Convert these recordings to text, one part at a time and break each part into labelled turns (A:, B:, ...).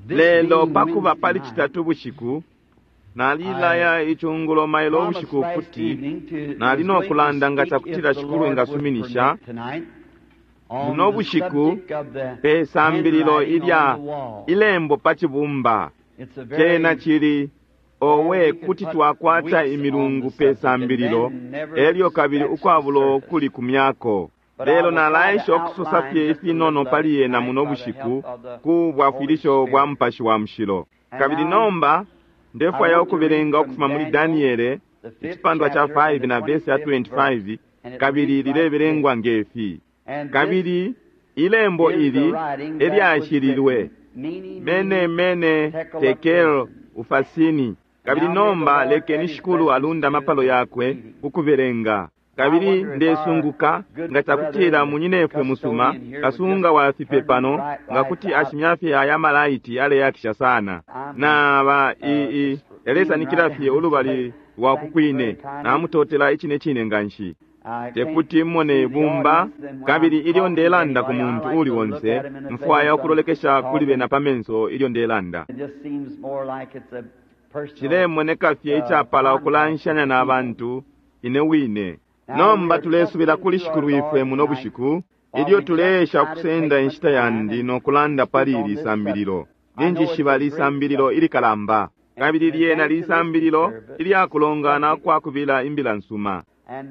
A: Lelo pa kuba pali Citatu bushiku, nalilaya icungulo mailo ubushiku ukuti nali no kulanda nga cakutila Shikulu engasuminisha muno bushiku pe sambililo ilya ilembo pa cibumba. Cena cili owe kuti twakwata imilungu pe sambililo elyo kabili ukwabulo kulikumyako. Lelo nalaesha ukusosa fye ifinono pali yena muno bushiku ku bwafwilisho bwa Mupashi wa Mushilo. Kabili nomba ndefwaya ukubelenga ukufuma muli Daniele icipandwa ca 5 na vesi ya 25, kabili lilebelengwa nge fi. Kabili ilembo ili elyashililwe mene mene tekel ufasini. Kabili nomba lekeni Shikulu alunde amapalo yakwe ku kubelenga. Kabili ndesunguka nga cakutila munyinefwe musuma, kasunga wa fipe pano, nga kuti ashimya fye aya malaiti aleyakisha sana. Naba i, i, yalesanikila fye ulubali lwa ku kwine. Namutotela icine cine nganshi. Tekuti mmone ibumba, kabili ilyo ndelanda ku muntu uuli onse, mfwaya ukulolekesha kuli bena pa menso ilyo ndelanda. Cilemoneka fye icapala ukulanshanya na bantu ine wine. Nomba tulesubila kuli Shikulwifwe muno bushiku, ilyo tuleesha ukusenda inshita yandi no kulanda pali ili sambililo. Ninjishiba lisambililo ilikalamba, kabili lyena lisambililo ilya kulongana kwa kubila imbila nsuma,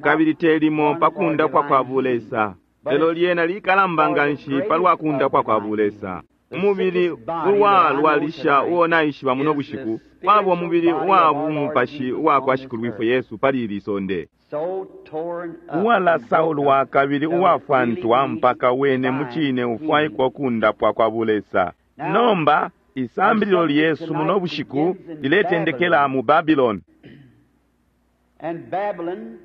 A: kabili te limo pa kundapwa kwa bulesa, lelo lyena likalamba nganshi palwa kundapwa kwa bulesa. Umubili uwalwalisha uo naishiba muno bushiku waba umubili uwa bumupashi uwa kwa Shikulwifwe Yesu pali ili sonde, uwalasaulwa kabili uwafwantwa mpaka wene mucine ufwaikwa ukundapwa kwa bulesa. Nomba isambililo lyesu muno bushiku liletendekela mu Babylon.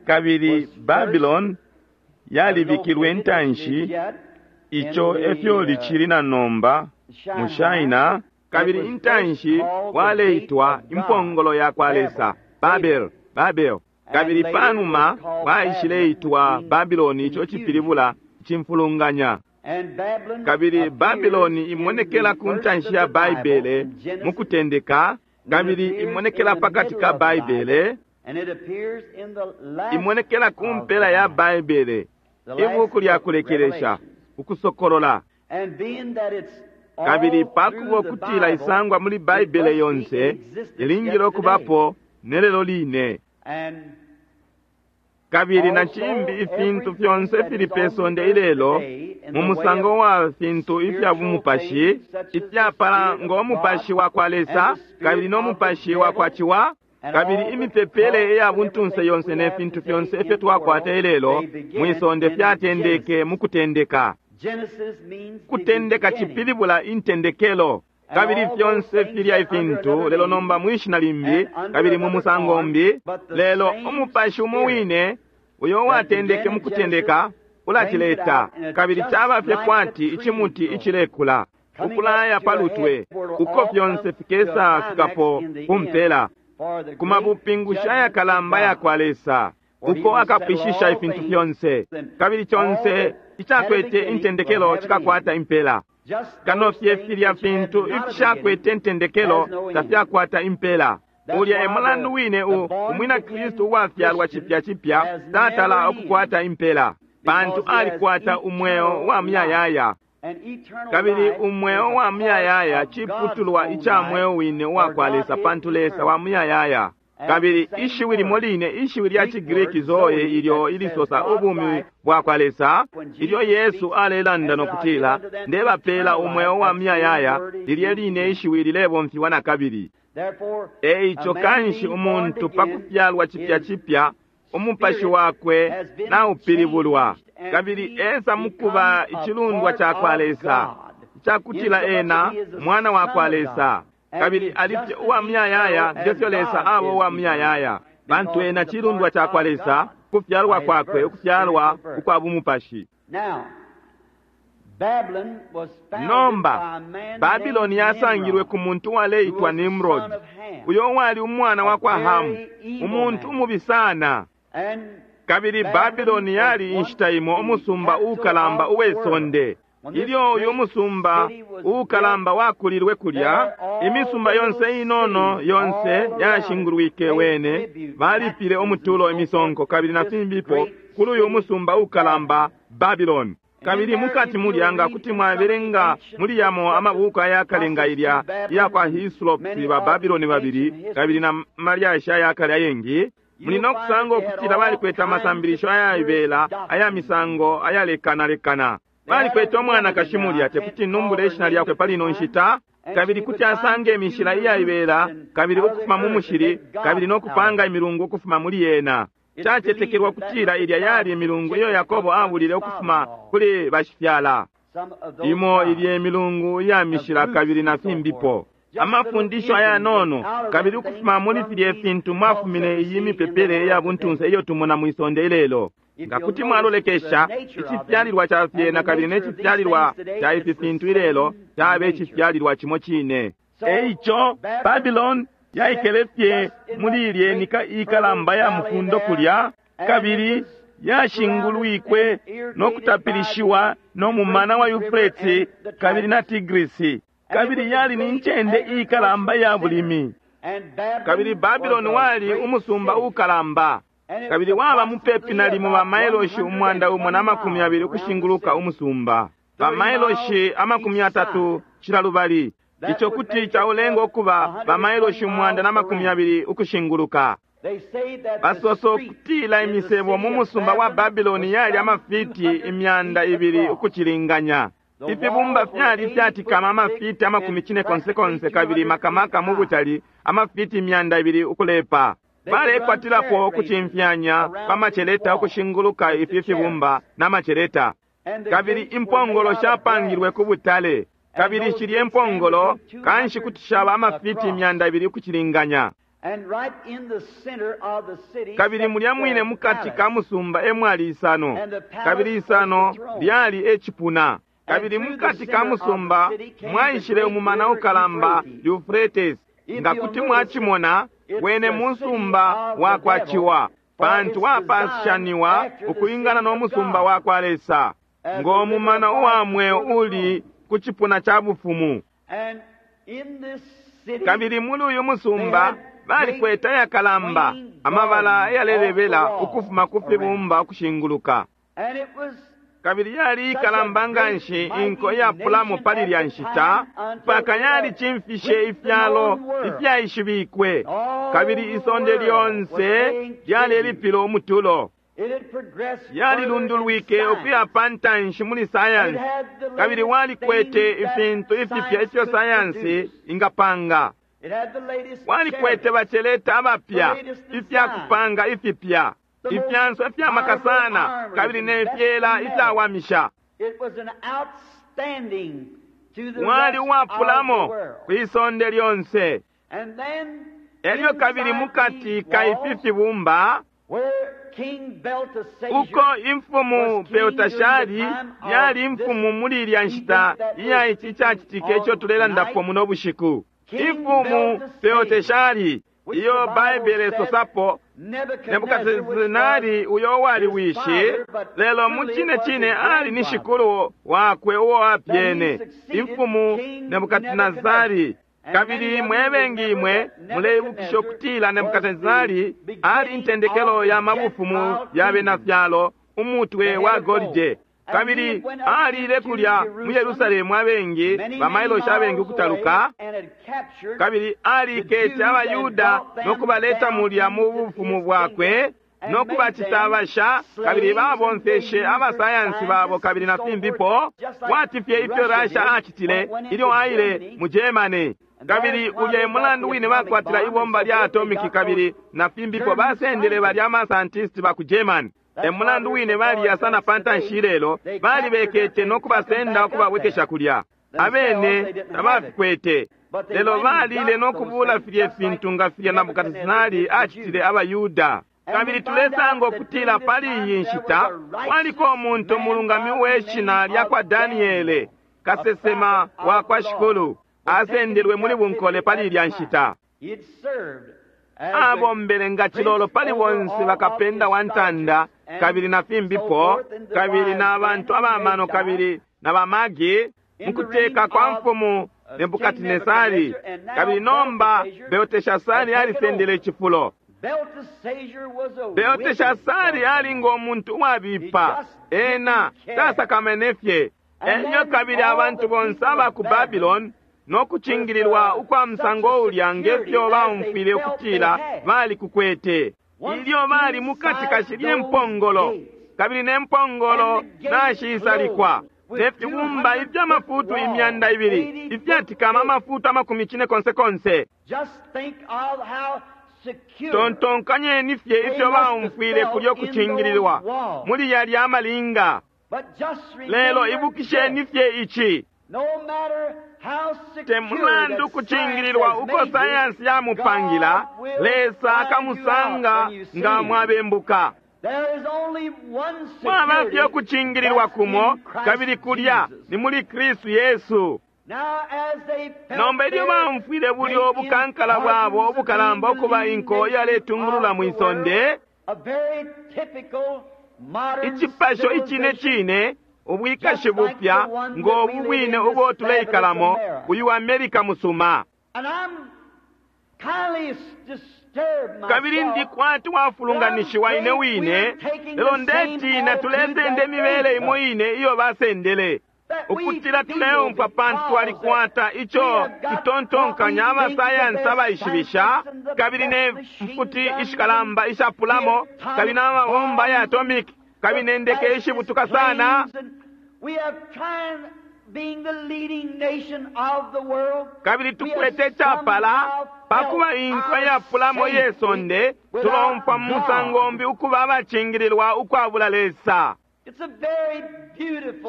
A: Kabili Babylon yalibikilwe intanshi, ico efyo licili na nomba mu China, kabili intanshi waleitwa impongolo ya kwa Lesa, Babel, Babel. Kabili panuma waishileitwa Babylon, ico cipilibula icimfulunganya. Kabili Babylon imonekela ku ntanshi ya Baibele mu kutendeka, kabili imonekela pakati ka Baibele, imonekela ku mpela ya Baibele, ibuku lya kulekelesha, Ukusokolola. Kabili pakuba ukutila isangwa muli Baibele yonse, ilingile ukubapo nelelo line. Kabili na cimbi ifintu fyonse ifili pe sonde ilelo mu musango wa fintu ifya bumupashi, ifyapala ngo mupashi wa kwa Lesa kabili no mupashi wa kwa Ciwa, kabili imipepele iya buntunse yonse ne fintu fyonse ifyo twakwata ilelo mwi sonde fyatendeke mu kutendeka. Kutendeka cipilibula intendekelo. Kabili fyonse filya ifintu lelo nomba mwi shina limbi kabili mu musango umbi, lelo umupashi umo wine uyo uwatendeke mu kutendeka ulacileta, kabili caba fye kwati icimuti icilekula ukulaya pa lutwe, uko fyonse fikesa fikapo ku mpela, ku mabupingushi ayakalamba ya kwa Lesa, uko akapwishisha ifintu fyonse, kabili conse icakwete intendekelo cikakwata impela. Kano fye filya fintu ifishakwete intendekelo tafyakwata impela. Ulya e mulandu wine u umwina Kristu uwafyalwa cipya cipya tatala ukukwata impela, pantu alikwata umweo wa muyayaya. Kabili umweo wa muyayaya ciputulwa ica mweo wine uwa kwa Lesa, pantu Lesa wa muyayaya. Kabili ishiwi limo line, ishiwi lya ciGriki zoe, ilyo ilisosa ubumi bwa kwa Lesa, ilyo Yesu alelanda no kutila, Ndebapela umweo wa muyayaya, lilye line ishiwi lilebomfiwa na kabili. E ico kanshi umuntu pa kufyalwa cipya cipya, umupashi wakwe naupilibulwa, kabili esa mukuba icilundwa ca kwa Lesa, icakutila ena mwana wa kwa Lesa, kabili ali fye uwa muyayaya nge fyo Lesa aba uwa muyayaya, pantu ena cilundwa ca kwa Lesa, ukufyalwa kwakwe, ukufyalwa ukwa bumupashi. Nomba, Babiloni yasangilwe ku muntu uwaleitwa Nimrod, uyo uwali umwana wa kwa Hamu, umuntu umubi sana. Kabili Babiloni yali inshita imo umusumba uukalamba uwe sonde. Ilyo uyu musumba uukalamba wakulilwe kulya, imisumba yonse inono yonse yashingulwike wene, balipile umutulo, imisonko kabili na fimbipo kuli uyu musumba ukalamba Babylon. Kabili mukati mulya nga kuti mwabelenga muli yamo amabuku ayakale nga ilya iya kwa Hislop ba Babylon babili kabili na malyashi ayakale ayengi, muli no kusanga ukutila balikwete amasambilisho ayaibela aya misango ayalekanalekana. Balikwete umwanakashi mulya, tekuti numbule ishina lyakwe pali ino nshita, kabili kuti asanga imishila iyaibela kabili ukufuma mu mushili kabili no kupanga imilungu ukufuma muli yena. Cacetekelwa kutila ilya yali imilungu iyo Yakobo abulile ukufuma kuli bashifyala. Imo ilye milungu iya mishila kabili na fimbipo. Amafundisho ayanono kabili ukufuma muli filye fintu mwafumine iyi mipepele ya buntunse iyo tumona mwisonde ilelo. Nga kuti mwalolekesha icifyalilwa ca fyena kabili ne cifyalilwa ca ifi fintu ilelo cabe icifyalilwa cimo cine. Eico Babylon yaikele fye muli ilye nika ikalamba ya mufundo kulya, kabili yashingulwikwe no kutapilishiwa no mumana wa Yufreti kabili na Tigrisi, kabili yali ni ncende ikalamba ya bulimi. Kabili Babylon wali umusumba ukalamba, kabili waba mupepi nalimo ba mailoshi 120 ukushinguluka umusumba, ba mailoshi 30 cila lubali. Ico kuti caulenga ukuba ba mailoshi 120 ukushinguluka. Basoso kutila imisebo mu musumba wa Babiloni yali amafiti 200 ukucilinganya. Ifibumba fyali fyatikama amafiti 90 kabili makamaka mu butali amafiti 200 ukulepa. Balekwatilapo ukucimfyanya pa maceleta ukushinguluka ifi fibumba na maceleta. Kabili impongolo shapangilwe ku butale, kabili shilye impongolo kanshi kuti shaba amafiti 200 ukucilinganya. Kabili mulya mwine mukati ka musumba emwali isano, kabili isano lyali ecipuna. Kabili mukati ka musumba mwaishile umumana ukalamba Euphrates. Nga kuti mwacimona wene musumba wa kwa Ciwa, pantu wapashaniwa ukulingana no musumba wa kwa Lesa, ngo mumana uwa mweo uli ku cipuna ca bufumu. Kabili muli uyu musumba balikwete ayakalamba amabala ayalelebela ukufuma ku fibumba ukushinguluka. Kabili yali ikalamba nganshi inko iyapulamo pali lya nshita, mpaka yalicimfishe ifyalo ifyaishibikwe, kabili isonde lyonse lyalelipila umutulo. Yalilundulwike ukuya pa ntanshi muli sayansi, kabili walikwete ifintu ifipya ifyo sayansi ingapanga. Walikwete baceleta abapya, ifyakupanga ifipya, ifyanso ifyamaka sana kabili ne fyela ifyawamisha. Wali uwapulamo kwisonde lyonse. Elyo kabili mukati ka ifi fibumba uko imfumu Beltashari yali imfumu muli ilya nshita iya ici cacitike ico tulelandapo muno bushiku. Imfumu Belteshari iyo Baibele isosapo Nebukadnesari uyo wali wishi, lelo mu cine cine ali ni shikulu wakwe uo apyene, imfumu Nebukadnesari. Kabili mwebengi imwe muleibukisha ukutila Nebukadnesari ali intendekelo ya mabufumu ya bena fyalo, umutwe wa golide. Kabili alile kulya mu Yerusalemu abengi bamailoshi abengi ukutaluka, kabili alikete abayuda no kubaleta mulya mu bufumu bwakwe no kubacita abasha, kabili babomfeshe abasayansi babo kabili na fimbipo, kwati fye ifyo Russia acitile ilyo aile mu Germany. Kabili ulya mulandu wine bakwatila ibomba lya atomiki kabili na fimbipo basendele balya amascientist ba ku Germany. Emulandu wine baliya sana pa ntanshi ilelo, balibekete no kubasenda ukubabwekesha kulya. Abene tabafikwete, lelo balile no kubula filye fintu nga filya Nebukadnesari acitile abayuda. Kabili tulesanga ukutila pali iyi nshita kwaliko umuntu umulungami uwe shina lya kwa Daniele, kasesema wa kwa Shikulu, asendelwe muli bunkole pali ilya nshita. Abombele nga cilolo pali bonse bakapenda wa ntanda kabili na fimbipo, kabili na bantu abamano kabili na baMagi mukuteka kwa mfumu Nebukadnesari, kabili nomba Belteshasari alisendele icifulo. Belteshasari ali ngo muntu uwabipa, ena tasakamene fye. Elyo kabili abantu bonse aba ku Babylon no kucingililwa ukwa musango ulya ngefyo baumfwile ukutila bali kukwete. Ilyo bali mukati kashilye mpongolo, kabili ne mpongolo nashisalikwa ne fibumba iby'amafutu 200 ifyatikama amafutu 40 konse konse. Tontonkanyeni fye ifyo baumfwile kulyo kucingililwa muli yalya amalinga. Lelo ibukisheni fye ici, te mulandu kucingililwa uko sayansi yamupangila, Lesa akamusanga nga mwabembuka. Mwaba fye ukucingililwa kumo, kabili kulya ni muli Kristu Yesu. Nomba ilyo baumfwile bulyo ubukankala bwabo ubukalamba ukuba inko yaletungulula mwi sonde, icipasho icine cine ubwikashi bupya ngo ubu bwine ubo tuleikalamo, uyu Amerika musuma. Kabili ndi kwati wafulunganishiwa ine wine, lelo ndetina tulesenda imibele imo ine iyo basendele, ukutila tuleumfwa pantu twalikwata ico tutontonkanya abasayansi abaishibisha, kabili ne mfuti ishikalamba ishapulamo, kabili n'amabomba ya atomic, kabili ne ndeke ishibutuka sana. Kabili tukwete icapala pakuba inko yapulamo ye sonde, tulomfwa mu musango mbi ukuba abacingililwa ukwabula Lesa.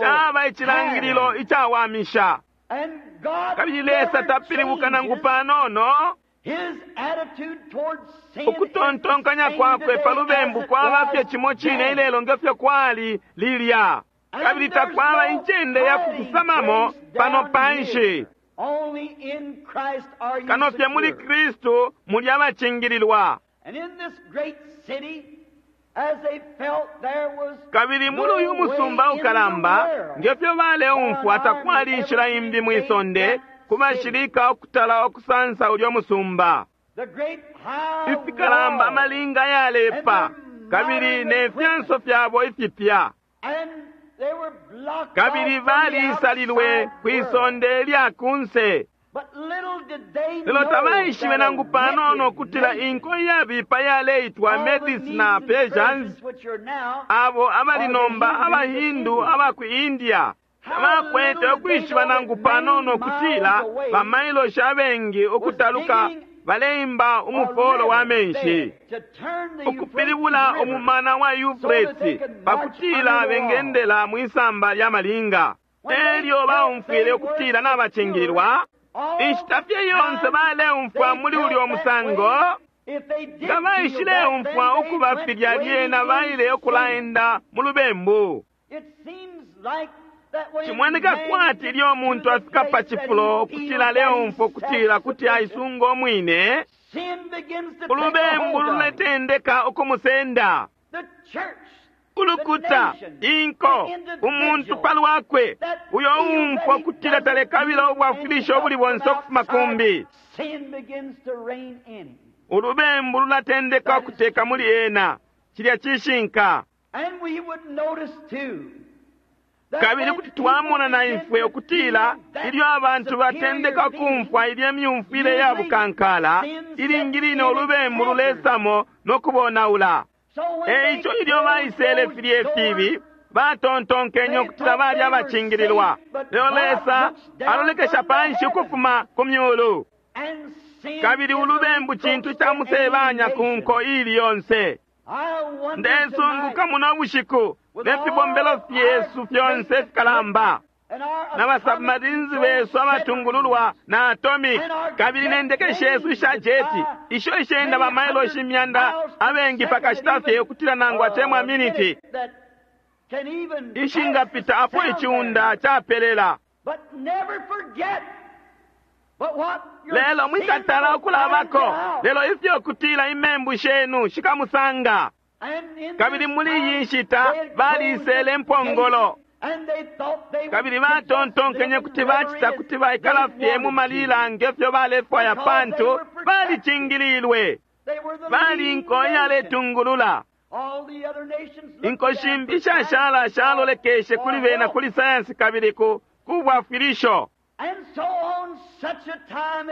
A: Caba icilangililo icawamisha. Kabili Lesa tapilibuka nangu panono. Ukutontonkanya kwakwe pa lubembu kwaba fye cimo cine ilelo ngefyo kwali lilya. Kabili takwaba incende ya kufusamamo pano panshi. Kano fye muli Kristu muli abacingililwa. Kabili muli uyu musumba ukalamba, ngefyo baleumfwa takwali inshila imbi mwi sonde ku bashilika ukutala ukusansa ulyo musumba. Ifikalamba amalinga yalepa, kabili ne fyanso fyabo ifipya. Kabili balisalilwe kwi sonde lya kunse. Lelo tabaishibe nangu panono ukutila inko iyabipa yaleitwa Medes na Persians, abo abali nomba abaHindu aba ku India, tabakwete ukwishiba nangu panono ukutila bamailoshi abengi ukutaluka baleimba umufolo wa menshi, ukupilibula umumana wa Yufreti pakutila bengendela mwisamba lya malinga. Elyo baumfwile ukutila nabacingililwa. Inshita fye yonse baleumfwa muli ulyo musango, nga baishileumfwa ukuba filya lyena baile ukulaenda mu lubembu. Cimoneka kwati ilyo umuntu afika pa cifulo ukutila aleumfwa ukutila kuti aisunga umwine, ulubembu luletendeka ukumusenda. Ulukuta, inko, umuntu palwakwe, uyo umfwa ukutila talekabila ubwafwilisho ubuli bonse ukufuma kumbi. Ulubembu lulatendeka ukuteka muli ena. Cilya cishinka. Kabili kuti twamona na ifwe ukutila ilyo abantu batendeka kumfwa ilye myumfwile ya bukankala, ilingi line ulubembu lulesamo no kubonaula. Eico ilyo baisele filye fibi, batontonkenye ukutila bali abacingililwa. Lelo Lesa alolekesha panshi ukufuma ku myulu. Kabili ulubembu cintu ca musebanya ku nko ili yonse. Ndesunguka muno bushiku ne fibombelo fyesu fyonse fikalamba, na basubmarines besu abatungululwa na atomic, kabili ne ndeke shesu isha jeti isho ishenda bamailoshi 100 abengi pakashita fye ukutila nangu atemwa miniti ishingapita apo iciunda capelela. Lelo mwikatala ukulabako, lelo ifyo kutila imembu shenu shikamusanga. Kabili muli iyi nshita balisele impongolo. Kabili batontonkenye kuti bacita kuti baikala fye mu malila nge fyo balefwaya pantu balicingililwe. Bali inko iyaletungulula. Inko shimbi ishashala shalolekeshe kuli bena kuli sayansi kabili ku kubwafwilisho.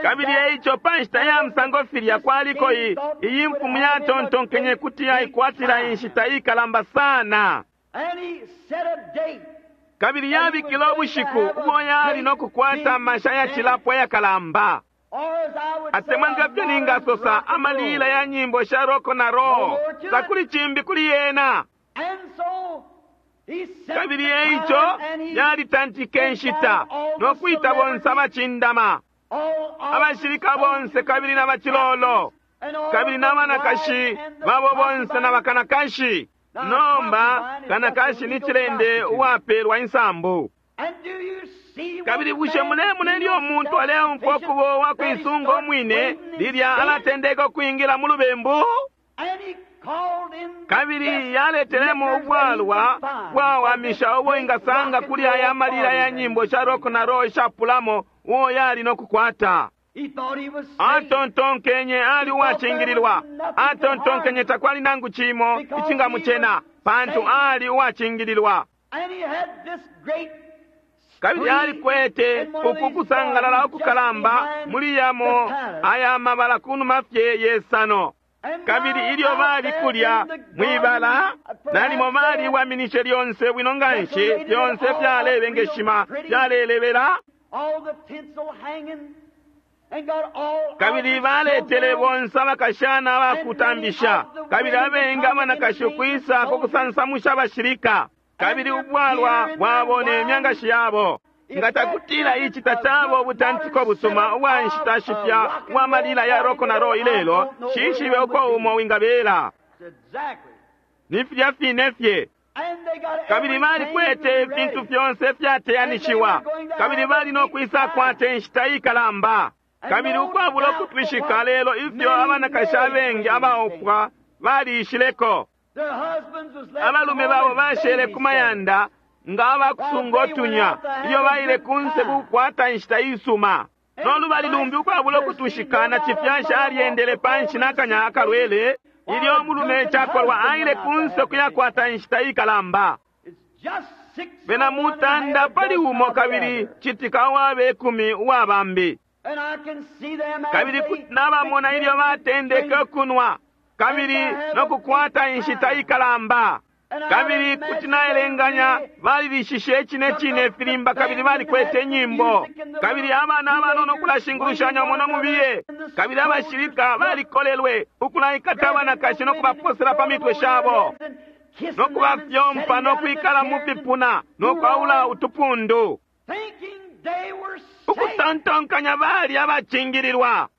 A: Kabili eico pa nshita ya musango filya kwaliko iyi mfumu yatontonkenye kuti yaikwatila inshita ikalamba sana. Kabili yabikile ubushiku ubo yali no kukwata amasha yacilapo ayakalamba. Atemwa nga fyo ningasosa amalila ya nyimbo sha roko na roho takuli cimbi kuli yena. Kabili eico yalitantike inshita no kwita bonse abacindama, abashilika bonse kabili na bacilolo, kabili na banakashi babo bonse na bakanakashi. Nomba kanakashi ni cilende uwapelwa insambu. Kabili bushe mulemona ilyo umuntu aleumfwa ukuba uwakuisunga umwine lilya alatendeka ukwingila mu lubembu? Kabili yaletelemo ubwalwa bwawamisha ubo ingasanga kuli aya malila ya nyimbo sha rock na roll ishapulamo uo yali no kukwata. Atontonkenye ali uwacingililwa. Atontonkenye takwali nangu cimo icingamucena pantu ali uwacingililwa. Kabili alikwete uku kusangalala ukukalamba muli yamo aya mabala kunuma fye yesano. Kabili ilyo bali kulya mwibala nalimo baliwaminishe lyonse bwino nganshi, fyonse fyalebengeshima fyalelebela. Kabili baletele bonse abakashana abakutambisha, kabili abengi abanakashi ukwisa ku kusansamusha abashilika, kabili ubwalwa bwabo ne myangashi yabo. Nga takutila ici tacaba ubutantiko busuma ubwa nshita shipya ubwa malila ya roko na ro ilelo, shishibe uko umo wingabela. Ni filya fine fye. Kabili balikwete ifintu fyonse ifyateyanishiwa, kabili bali no kwisa kwata inshita ikalamba. Kabili ukwabula ukutwishika lelo ifyo abanakashi abengi abaupwa baliishileko. Abalume babo bashele ku mayanda nga abakusunga otunya ilyo baile kunse kukwata inshita isuma. Nolubali lumbi ukwabula ukutwishika na cifyashi alyendele panshi nakanya akalwele ilyo umulume cakolwa aile kunse kuyakwata inshita ikalamba. Bena mutanda pali umo kabili citika uwabe kumi uwa bambi. Kabili nabamona ilyo batendeke ukunwa kabili no kukwata inshita ikalamba. Kabili kuti naelenganya balilishishe icine cine ifilimba kabili balikwete inyimbo. Kabili abana abanono ukulashingulushanya umo no mubiye. Kabili abashilika balikolelwe ukulaikata abanakashi no kubaposela pa mitwe shabo, no kubafyompa no kwikala mu fipuna no kwaula utupundu, ukutontonkanya bali abacingililwa.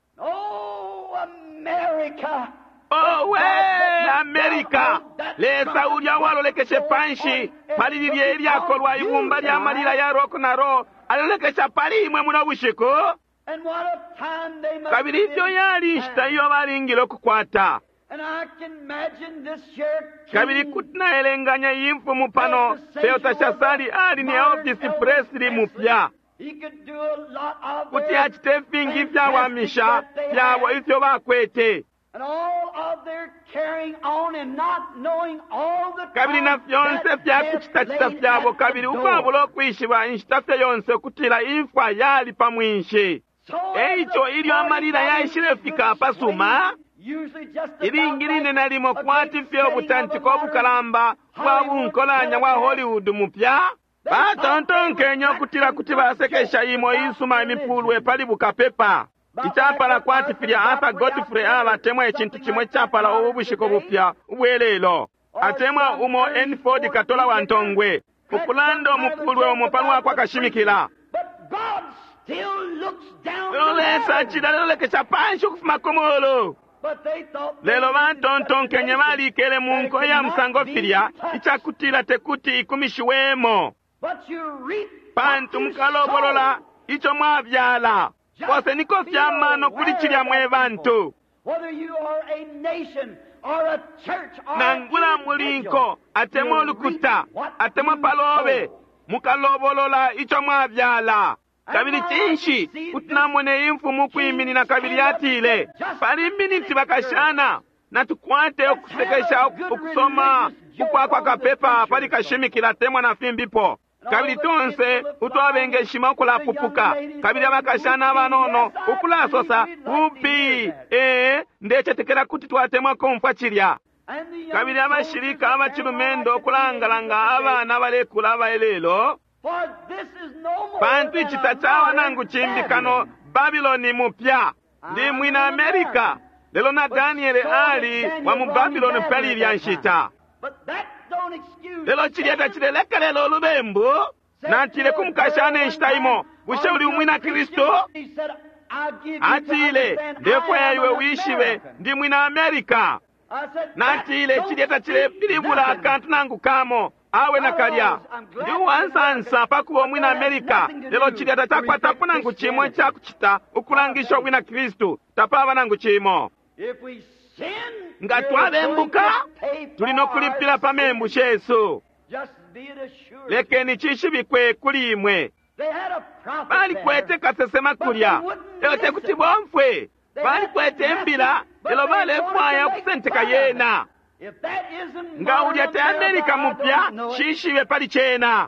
A: Owe Amerika, Lesa ulya walolekeshe panshi pali lilye ilyakolwa ibumba lya malila ya rock na roll alolekesha pali imwe muno bushiku. Kabili ifyo yali inshita iyo balingile ukukwata. Kabili kuti naelenganya iyi mfumu pano Belteshasari ali ni Elvis Presley mupya. Kuti acite ifingi ifyawamisha fyabo ifyo bakwete. Kabili na fyonse fyakucitacita fyabo, kabili ukwabula ukwishiba inshita fye yonse ukutila imfwa yali pa mwinshi. Eico ilyo amalila yaishilefika apasuma, ilingi line nalimo kwati fye ubutantiko ubukalamba bwa bunkolanya bwa Hollywood mupya, batontonkenye ukutila kuti basekesha imo isuma imipulwe pali bukapepa. Icapala kwati filya Arthur Godfrey abatemwa icintu cimo icapala ubu bushiku bupya ubwelelo, atemwa umo N. Ford katola wa ntongwe ukulanda umupulwe umo palwa kwa kashimikila. Lelo Lesa acila alolekesha panshi ukufuma ku mulu. Lelo batontonkenye balikele mu nko ya musango filya icakutila tekuti ikumishiwemo, pantu mukalobolola ico mwabyala. Koseniko fya mano kuli cilya mwe bantu. Nangula muli nko atemwa ulukuta atemwa palobe, Mukalobolola ico mwabyala. Kabili cinshi kuti namone imfumu kwiminina kabili yatile, pali miniti bakashana, natukwate ukusekesha ukusoma ukwakwa kapepa pali kashimikila temwa na fimbipo. Kabili tonse utwabengeshima ukulapupuka, kabili abakashana abanono ukulasosa upi, ee, ndecetekela kuti twatemwa kumfwa cilya. Kabili abashilika abacilumendo ukulangalanga abana balekula abaelelo, pantu ici tacawa nangu cimbi kano Babiloni mupya. Ndi mwina Amerika, lelo na Daniele ali wa mu Babiloni pali ilya nshita. Lelo cilya tacilelekelela ulubembu. Natile ku mukashana inshita imo, bushe uli umwina Kristu? Atile, ndefwaya iwe wishibe ndi mwina Amerika. Natile, cilya tacilepilibula akantu nangu kamo. Awe nakalya, ndi uwansansa pakuba umwina Amerika, lelo cilya tacakwatapo nangu cimo icakucita ukulangisha ubwina Kristu, tapaba nangu cimo. Nga twabembuka, tuli no kulipila pa membu shesu. Lekeni cishibikwe kuli imwe. Balikwete kasesema kulya, lelo tekuti bomfwe. Balikwete imbila, lelo balefwaya ukusenteka yena. Nga ulya te Amerika mupya, shishibe pali cena.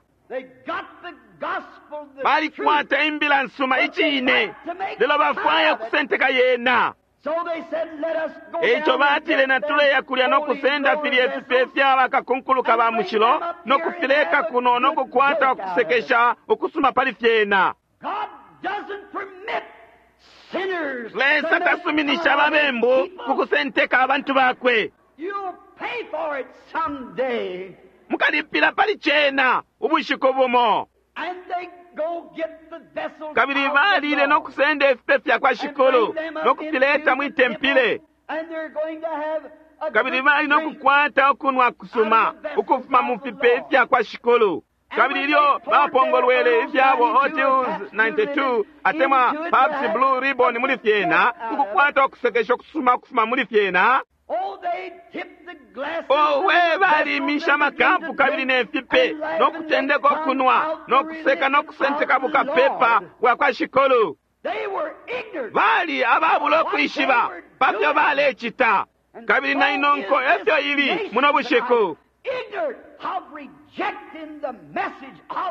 A: Balikwata imbila nsuma icine, lelo bafwaya ukusenteka yena. Eico batile, natuleya kulya no kusenda filya ifipe fya bakakunkuluka ba mushilo no kufileka kuno no kukwata ukusekesha ukusuma pali fyena. Lesa tasuminisha ababembu ku kusenteka abantu bakwe. Mukalipila pali cena ubushiku bumo. Kabili balile no kusenda ifipe fya kwa Shikulu no kufileta mwi tempile. Kabili bali no kukwata ukunwa kusuma ukufuma mu fipe fya kwa Shikulu. Kabili ilyo bapongolwele ifyabo Otius 92 atemwa Pabst Blue Ribbon muli fyena, ukukwata ukusekesha ukusuma ukufuma muli fyena. Owe, balimisha amakapu kabili ne fipe no kutendeka ukunwa no kuseka no kusenteka bukapepa bwa kwa Shikulu. Bali ababula ukwishiba pa fyo balecita. Kabili na inonko efyo ili muno bushiku.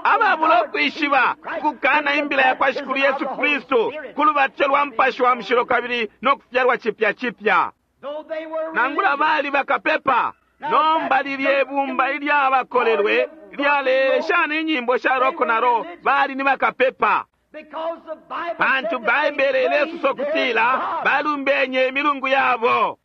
A: Ababula ukwishiba kukana imbila ya kwa Shikulu Yesu Kristu ku lubatyo lwa Mupashi wa Mushilo kabili no kufyalwa cipya cipya. Nangula bali bakapepa, nomba lilye bumba ilyabakolelwe lyaleshana inyimbo sha rock na roll, bali ni bakapepa. Pantu Baibele ilesosa ukutila balumbenye imilungu yabo.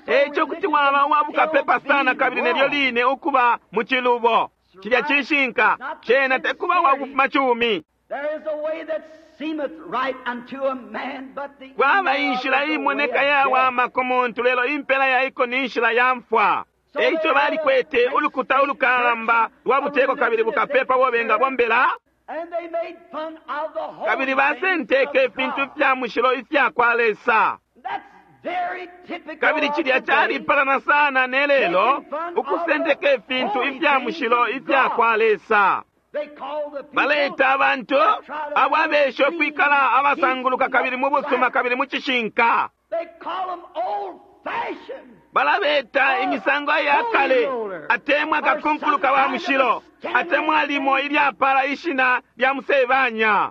A: Eico kuti waba uwa bukapepa sana kabili nelyo line ukuba mu cilubo. Cilya cishinka, cena tekuba uwa kufuma cumi. Kwaba inshila imoneka yawama ku muntu, lelo impela yaiko ni nshila ya mfwa. Eico balikwete ulukuta ulukalamba lwa buteko kabili bukapepa bo bengabombela, kabili basenteke ifintu fya mushilo ifya kwa Lesa. Kabili cilya calipalana sana ne lelo, ukusenteka ifintu ifya mushilo ifya kwa Lesa. Baleta abantu abo abesha ukwikala abasanguluka kabili mu busuma kabili mu cishinka. Balabeta imisango ya kale, atemwa kakunkuluka wa mushilo, atemwa limo ilyapala ishina lya musebanya.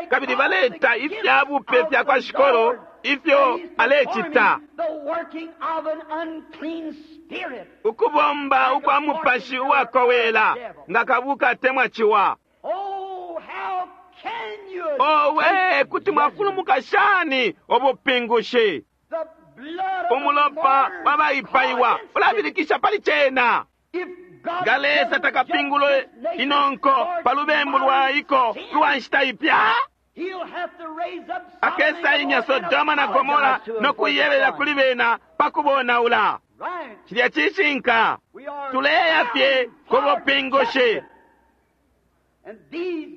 A: Kabili baleta ifya bupe fya kwa Shikolo ifyo alecita, ukubomba ukwa mupashi uwakowela nga kabuka atemwa ciwa. Owe, kuti mwafulumuka shani ubupingushi? Umulopa wabaipaiwa ulabilikisha pali cena. Nga Lesa takapingule inonko pa lubembu lwaiko lwa nshita ipya, akesa inya Sodoma na Gomora no kuyebelela kuli bena pa kubonaula. Cilya cishinka. Tuleya fye ku bupingushi.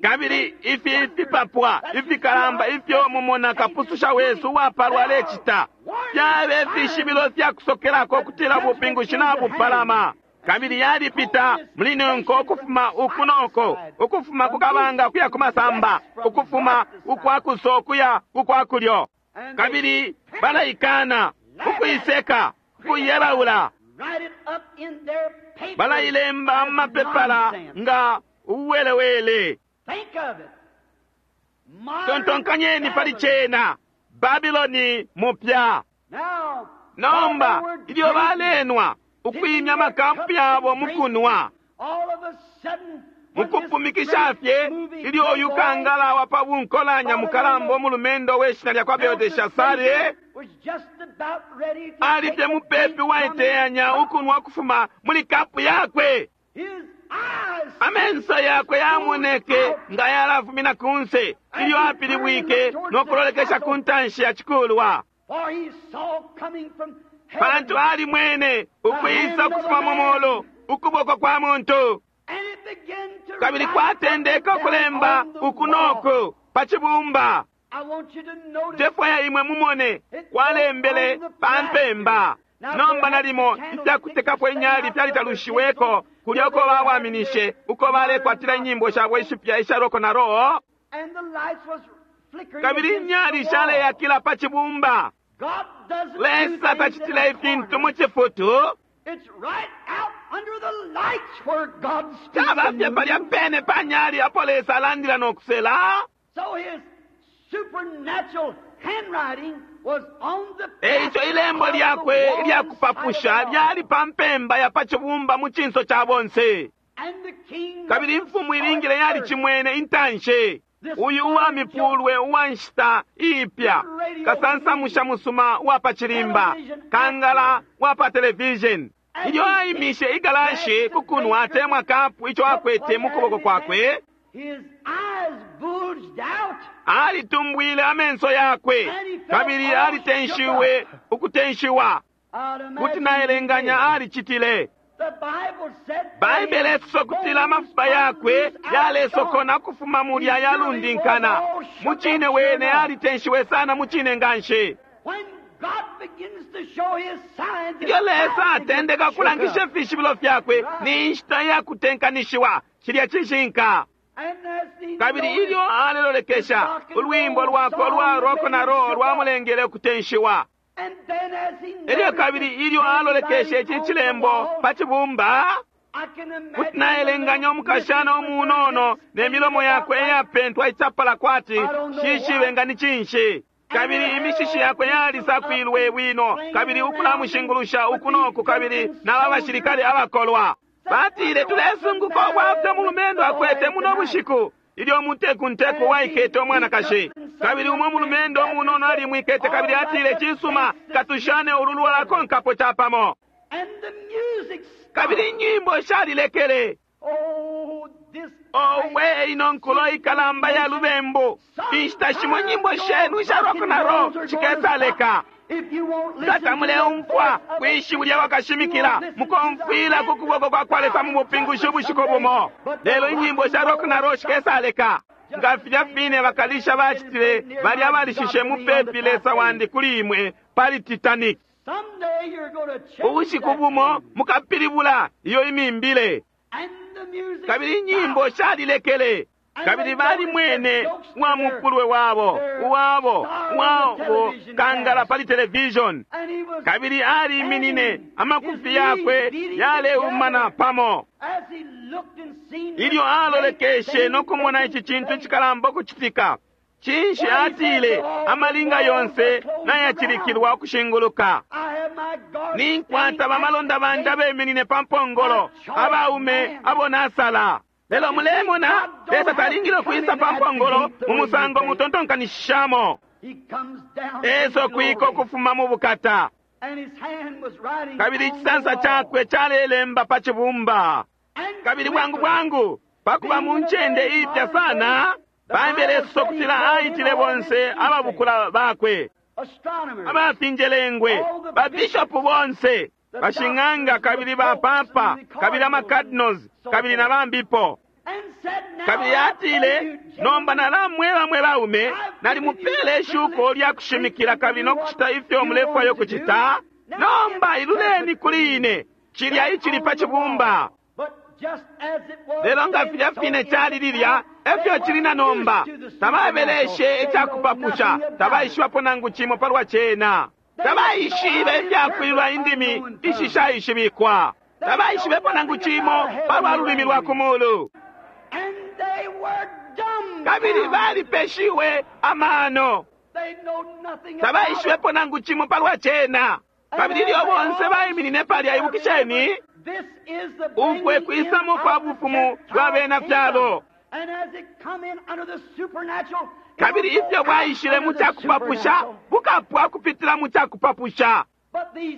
A: Kabili ifi fipapwa ifikalamba ifyo mumona kapususha wesu uwapalwa alecita fyabe fishibilo fya kusokelako kutila bupingushi nabupalama. Kabili yalipita muli nonko ukufuma uku noko, ukufuma ku kabanga kuya ku masamba, ukufuma ukwa kuso kuya ukwa kulyo. Kabili balaikana, ukuiseka, ukuyebaula. Balailemba mu mapepala nga uwelewele. Tontonkanyeni pali cena, Babiloni mupya. Nomba ilyo balenwa, ukwimya amakampu yabo mukunwa, mukupumikisha fye ilyo uyu kangala wa pa bunkolanya mukalamba umulumendo we shina lya kwa Belteshasari ali fye mupepi waiteyanya ukunwa ukufuma muli kapu yakwe. Amenso yakwe yamoneke nga yalafumina kunse ilyo apilibwike no kulolekesha ku ntanshi ya cikulwa, pantu alimwene ukwisa ukufuma mu mulu ukuboko kwa muntu, kabili kwatendeka ukulemba uku noku pa cibumba. Ndefwaya imwe mumone kwalembele pa mpemba. Nomba nalimo ifyakutekapo inyali fyalitalushiweko kulya uko bawaminishe, uko balekwatila inyimbo shabo ishipya isha roko na roho, kabili inyali shaleyakila pa cibumba. Lesa tacitile ifintu mu cifutu. Caba fye palya pene pa nyali apo Lesa alandila no kusela. Eico ilembo lyakwe ilya kupapusha lyali pa mpemba ya pa cibumba mu cinso ca bonse, kabili imfumu ilingile yalicimwene intanshi. Uyu uwa mipulwe uwa nshita iipya, kasansamusha musuma uwa pa cilimba, kangala wa pa television, ilyo aimishe igalashi ku kunwa atemwa kapu ico akwete mu kuboko kwakwe, alitumbwile amenso yakwe kabili alitenshiwe ukutenshiwa. Kuti naelenganya alicitile. Baibele isosa ukutila amafupa yakwe yalesokona ukufuma mulya yalundinkana. Mucine wene alitenshiwe sana mucine nganshi. Ilyo Lesa atendeka ukulangisha ifishibilo fyakwe, ni nshita ya kutenkanishiwa. Cilya cishinka. Kabili ilyo alelolekesha, ulwimbo lwakwe ulwa roko na roho lwamulengele ukutenshiwa. Elyo kabili ilyo alolekeshe ici cilembo pa cibumba, kuti naelenganya umukashana umunono ne milomo yakwe iyapentwa icapala kwati shishibe nga ni cinshi, kabili imishishi yakwe yalisakwilwe bwino, kabili ukulamushingulusha uku noku, kabili naba bashilikale abakolwa batile, tulesunguka ubwafya umulumendo akwete muno bushiku ilyo umutekunteku waikete umwanakashi. Kabili umwe mulumendo umunono alimwikete kabili atile, cisuma, katushane ulu lwalakonkapo capamo. Kabili inyimbo shalilekele. Owe, ino nkulo ikalamba ya lubembu! Inshita shimo nyimbo shenu isha rock na roll shikesaleka. Tata muleumfwa kwishiwi lya wakashimikila, mukomfwila ku kuboko kwa kwa Lesa mu bupingushi ubushiku bumo. Lelo inyimbo sha rock na roll shikesaleka nga filya fine bakalisha bacitile balya abalishishe mupepi Lesa wandi kuli imwe pali Titanic. Ubushiku bumo mukapilibula iyo imimbile. Kabili inyimbo shalilekele. Kabili balimwene wa mupulwe wabo uwabo wabo kangala pali television, kabili aliminine, amakufi yakwe yaleumana pamo ilyo alolekeshe no kumona ici cintu cikalamba ukucitika. Cinshi atile, amalinga yonse nayacilikilwa ukushinguluka. Ninkwata bamalonda bandi abeminine pa mpongolo, abaume abo nasala. Lelo mulemona, Lesa talingile ukwisa pa mpongolo mu musango mutontonkanishishamo. Eso kwiko kufuma mu bukata, kabili icisansa cakwe calelemba pa cibumba. Kabili bwangu bwangu pakuba mu ncende iipya sana, Baibele isosa ukutila aitile bonse ababukula bakwe, abafinjelengwe, babishopu bonse, bashing'anga, kabili bapapa, kabili amacardinals, kabili na bambipo. Kabili atile, nomba nalamweba mwe baume, nalimupele ishuko lya kushimikila kabili no kucita ifyo mulefwayo kucita. Nomba iluleni kuli ine. Cilya icili pa cibumba. Lelo nga filya fine cali lilya, efyo cili na nomba. Tababeleshe icakupapusha, tabaishibapo nangu cimo palwa cena. Tabaishibe ifyakwilwa indimi ishishaishibikwa. Tabaishibepo nangu cimo palwa lulimi lwa ku mulu. Kabili balipeshiwe amano. Tabaishibepo nangu cimo palwa cena. Kabili ilyo bonse baiminine palya, ibukisheni, ukwe kwisamo kwa bufumu bwa bena fyalo. Kabili ifyo bwaishile mu cakupapusha bukapwa kupitila mu cakupapusha.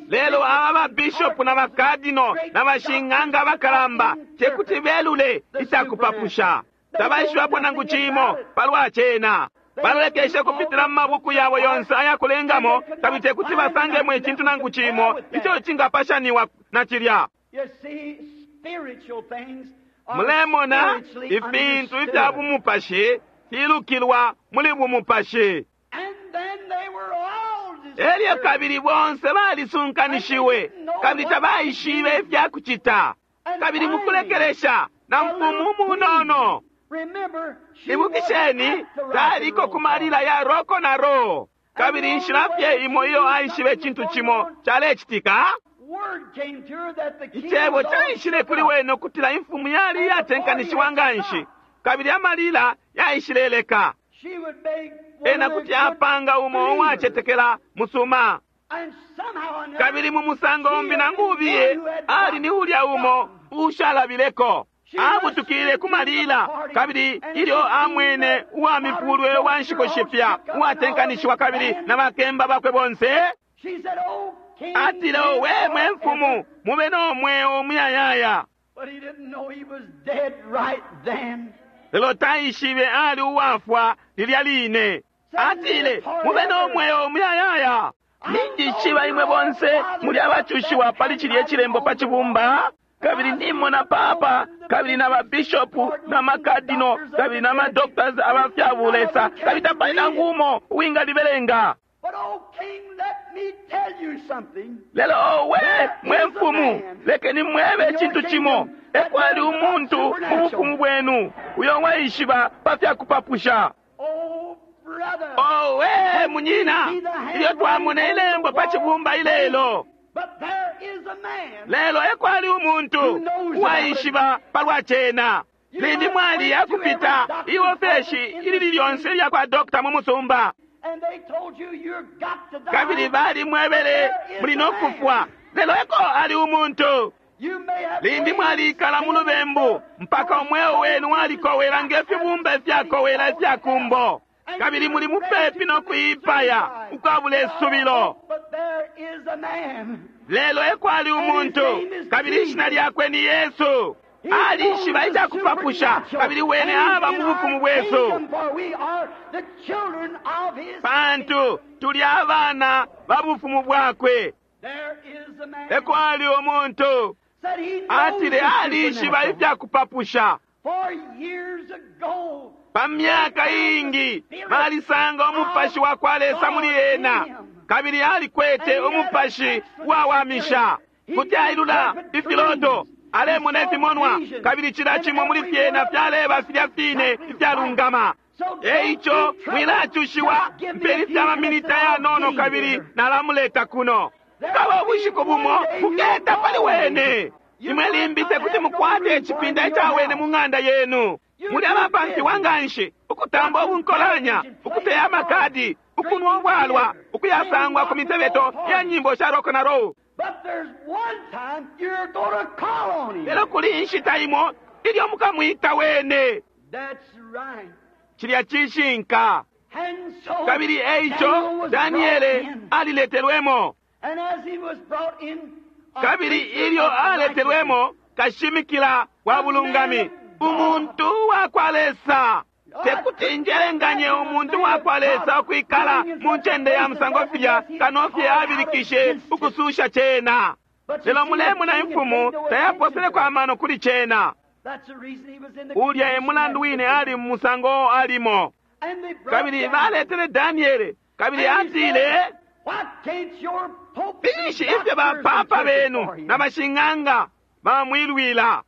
A: Lelo aba babishopu na bakadino na bashing'anga abakalamba tekuti belule icakupapusha. Tabaishibapo nangu cimo palwa cena. Balolekeshe kupitila mu mabuku yabo yonse ayakulengamo, kabili tekuti basangemo icintu nangu cimo ico cingapashaniwa na cilya. Mulemona ifintu ifya bumupashi filukilwa muli bumupashi. Elyo kabili bonse balisunkanishiwe, kabili tabaishibe ifya kucita. Kabili mukulekelesha na mfumu munono. Ibukisheni, taliko ku malila ya roko na ro. Kabili inshila fye imo iyo aishibe icintu cimo calecitika, icebo caishile kuli wene ukutila imfumu yali iyatenkanishiwa nga nshi, kabili amalila yaishileleka. Ena kuti apanga umo uwacetekela musuma. Kabili mu musango umbi nangu ubiye, ali ni ulya umo ushalabileko. Abutukile ku malila, kabili ilyo amwene uwa mifulwe wa nshiko shipya uwatenkanishiwa kabili na bakemba bakwe bonse, atile, owe mwe mfumu, mube no mweo umuyayaya. Lelo taishibe ali uwafwa lilya line. Atile, mube no mweo umuyayaya. Ninjishiba imwe bonse muli abacushiwa pali cilye cilembo pa cibumba. Kabili nimona papa, kabili na babishopu, na makadino, kabili na madoctors abafyabulesa, kabili tapali nangu umo uwingalibelenga. Lelo owe mwe mfumu, lekeni mwebe icintu cimo. Ekwali umuntu mu bufumu bwenu uyo waishiba pa fyakupapusha. Owe munyina, ilyo twamona ilembo pa cibumba ilelo. Lelo ekwali umuntu uwaishiba palwa cena. Limbi mwali yakupita iofeshi ilili lyonse ilya kwa dokta mu musumba, kabili balimwebele muli no kufwa. Lelo eko ali umuntu. Limbi mwalikala mu lubembu mpaka umweo wenu walikowela nge fibumba ifyakowela ifyakumbo, kabili muli mupepi no kuipaya ukwabula isubilo. Lelo ekwali umuntu, kabili ishina lyakwe ni Yesu. Alishiba icakupapusha, kabili wene aba mu bufumu bwesu, pantu tuli abana ba bufumu bwakwe. Ekwali umuntu atile alishiba ifyakupapusha. Pa myaka iingi balisanga umupashi wa kwa Lesa muli ena, kabili alikwete umupashi wawamisha. Kuti ailula ifiloto, alemona ifimonwa, kabili cila cimo muli fyena fyaleba filya fine ifyalungama. Eico mwilacushiwa, mpeni fya maminita yanono kabili nalamuleta kuno. Kaba ubushiku bumo buketa pali wene. Imwe limbi tekuti mukwate icipinda ica wene mu ng'anda yenu. Muli abapamfiwa nga nshi ukutamba ubunkolanya, ukuteya amakadi, ukunwa ubwalwa, ukuyasangwa ku mitebeto ya nyimbo sha rock na roll. Lelo kuli inshita imo ilyo mukamwita wene. Cilya cishinka. Kabili eico Daniele aliletelwemo. Kabili ilyo aletelwemo, kashimikila wa bulungami, umuntu wa kwa Lesa. Tekuti njelenganye umuntu wa kwa Lesa ukwikala mu ncende ya musango filya, kano fye abilikishe ukususha cena. Lelo mulemona imfumu tayaposeleko amano kuli cena. Ulya e mulandu wine ali mu musango alimo. Kabili baletele Daniele, kabili atile, Finshi ifyo bapapa benu na bashing'anga bamwilwila?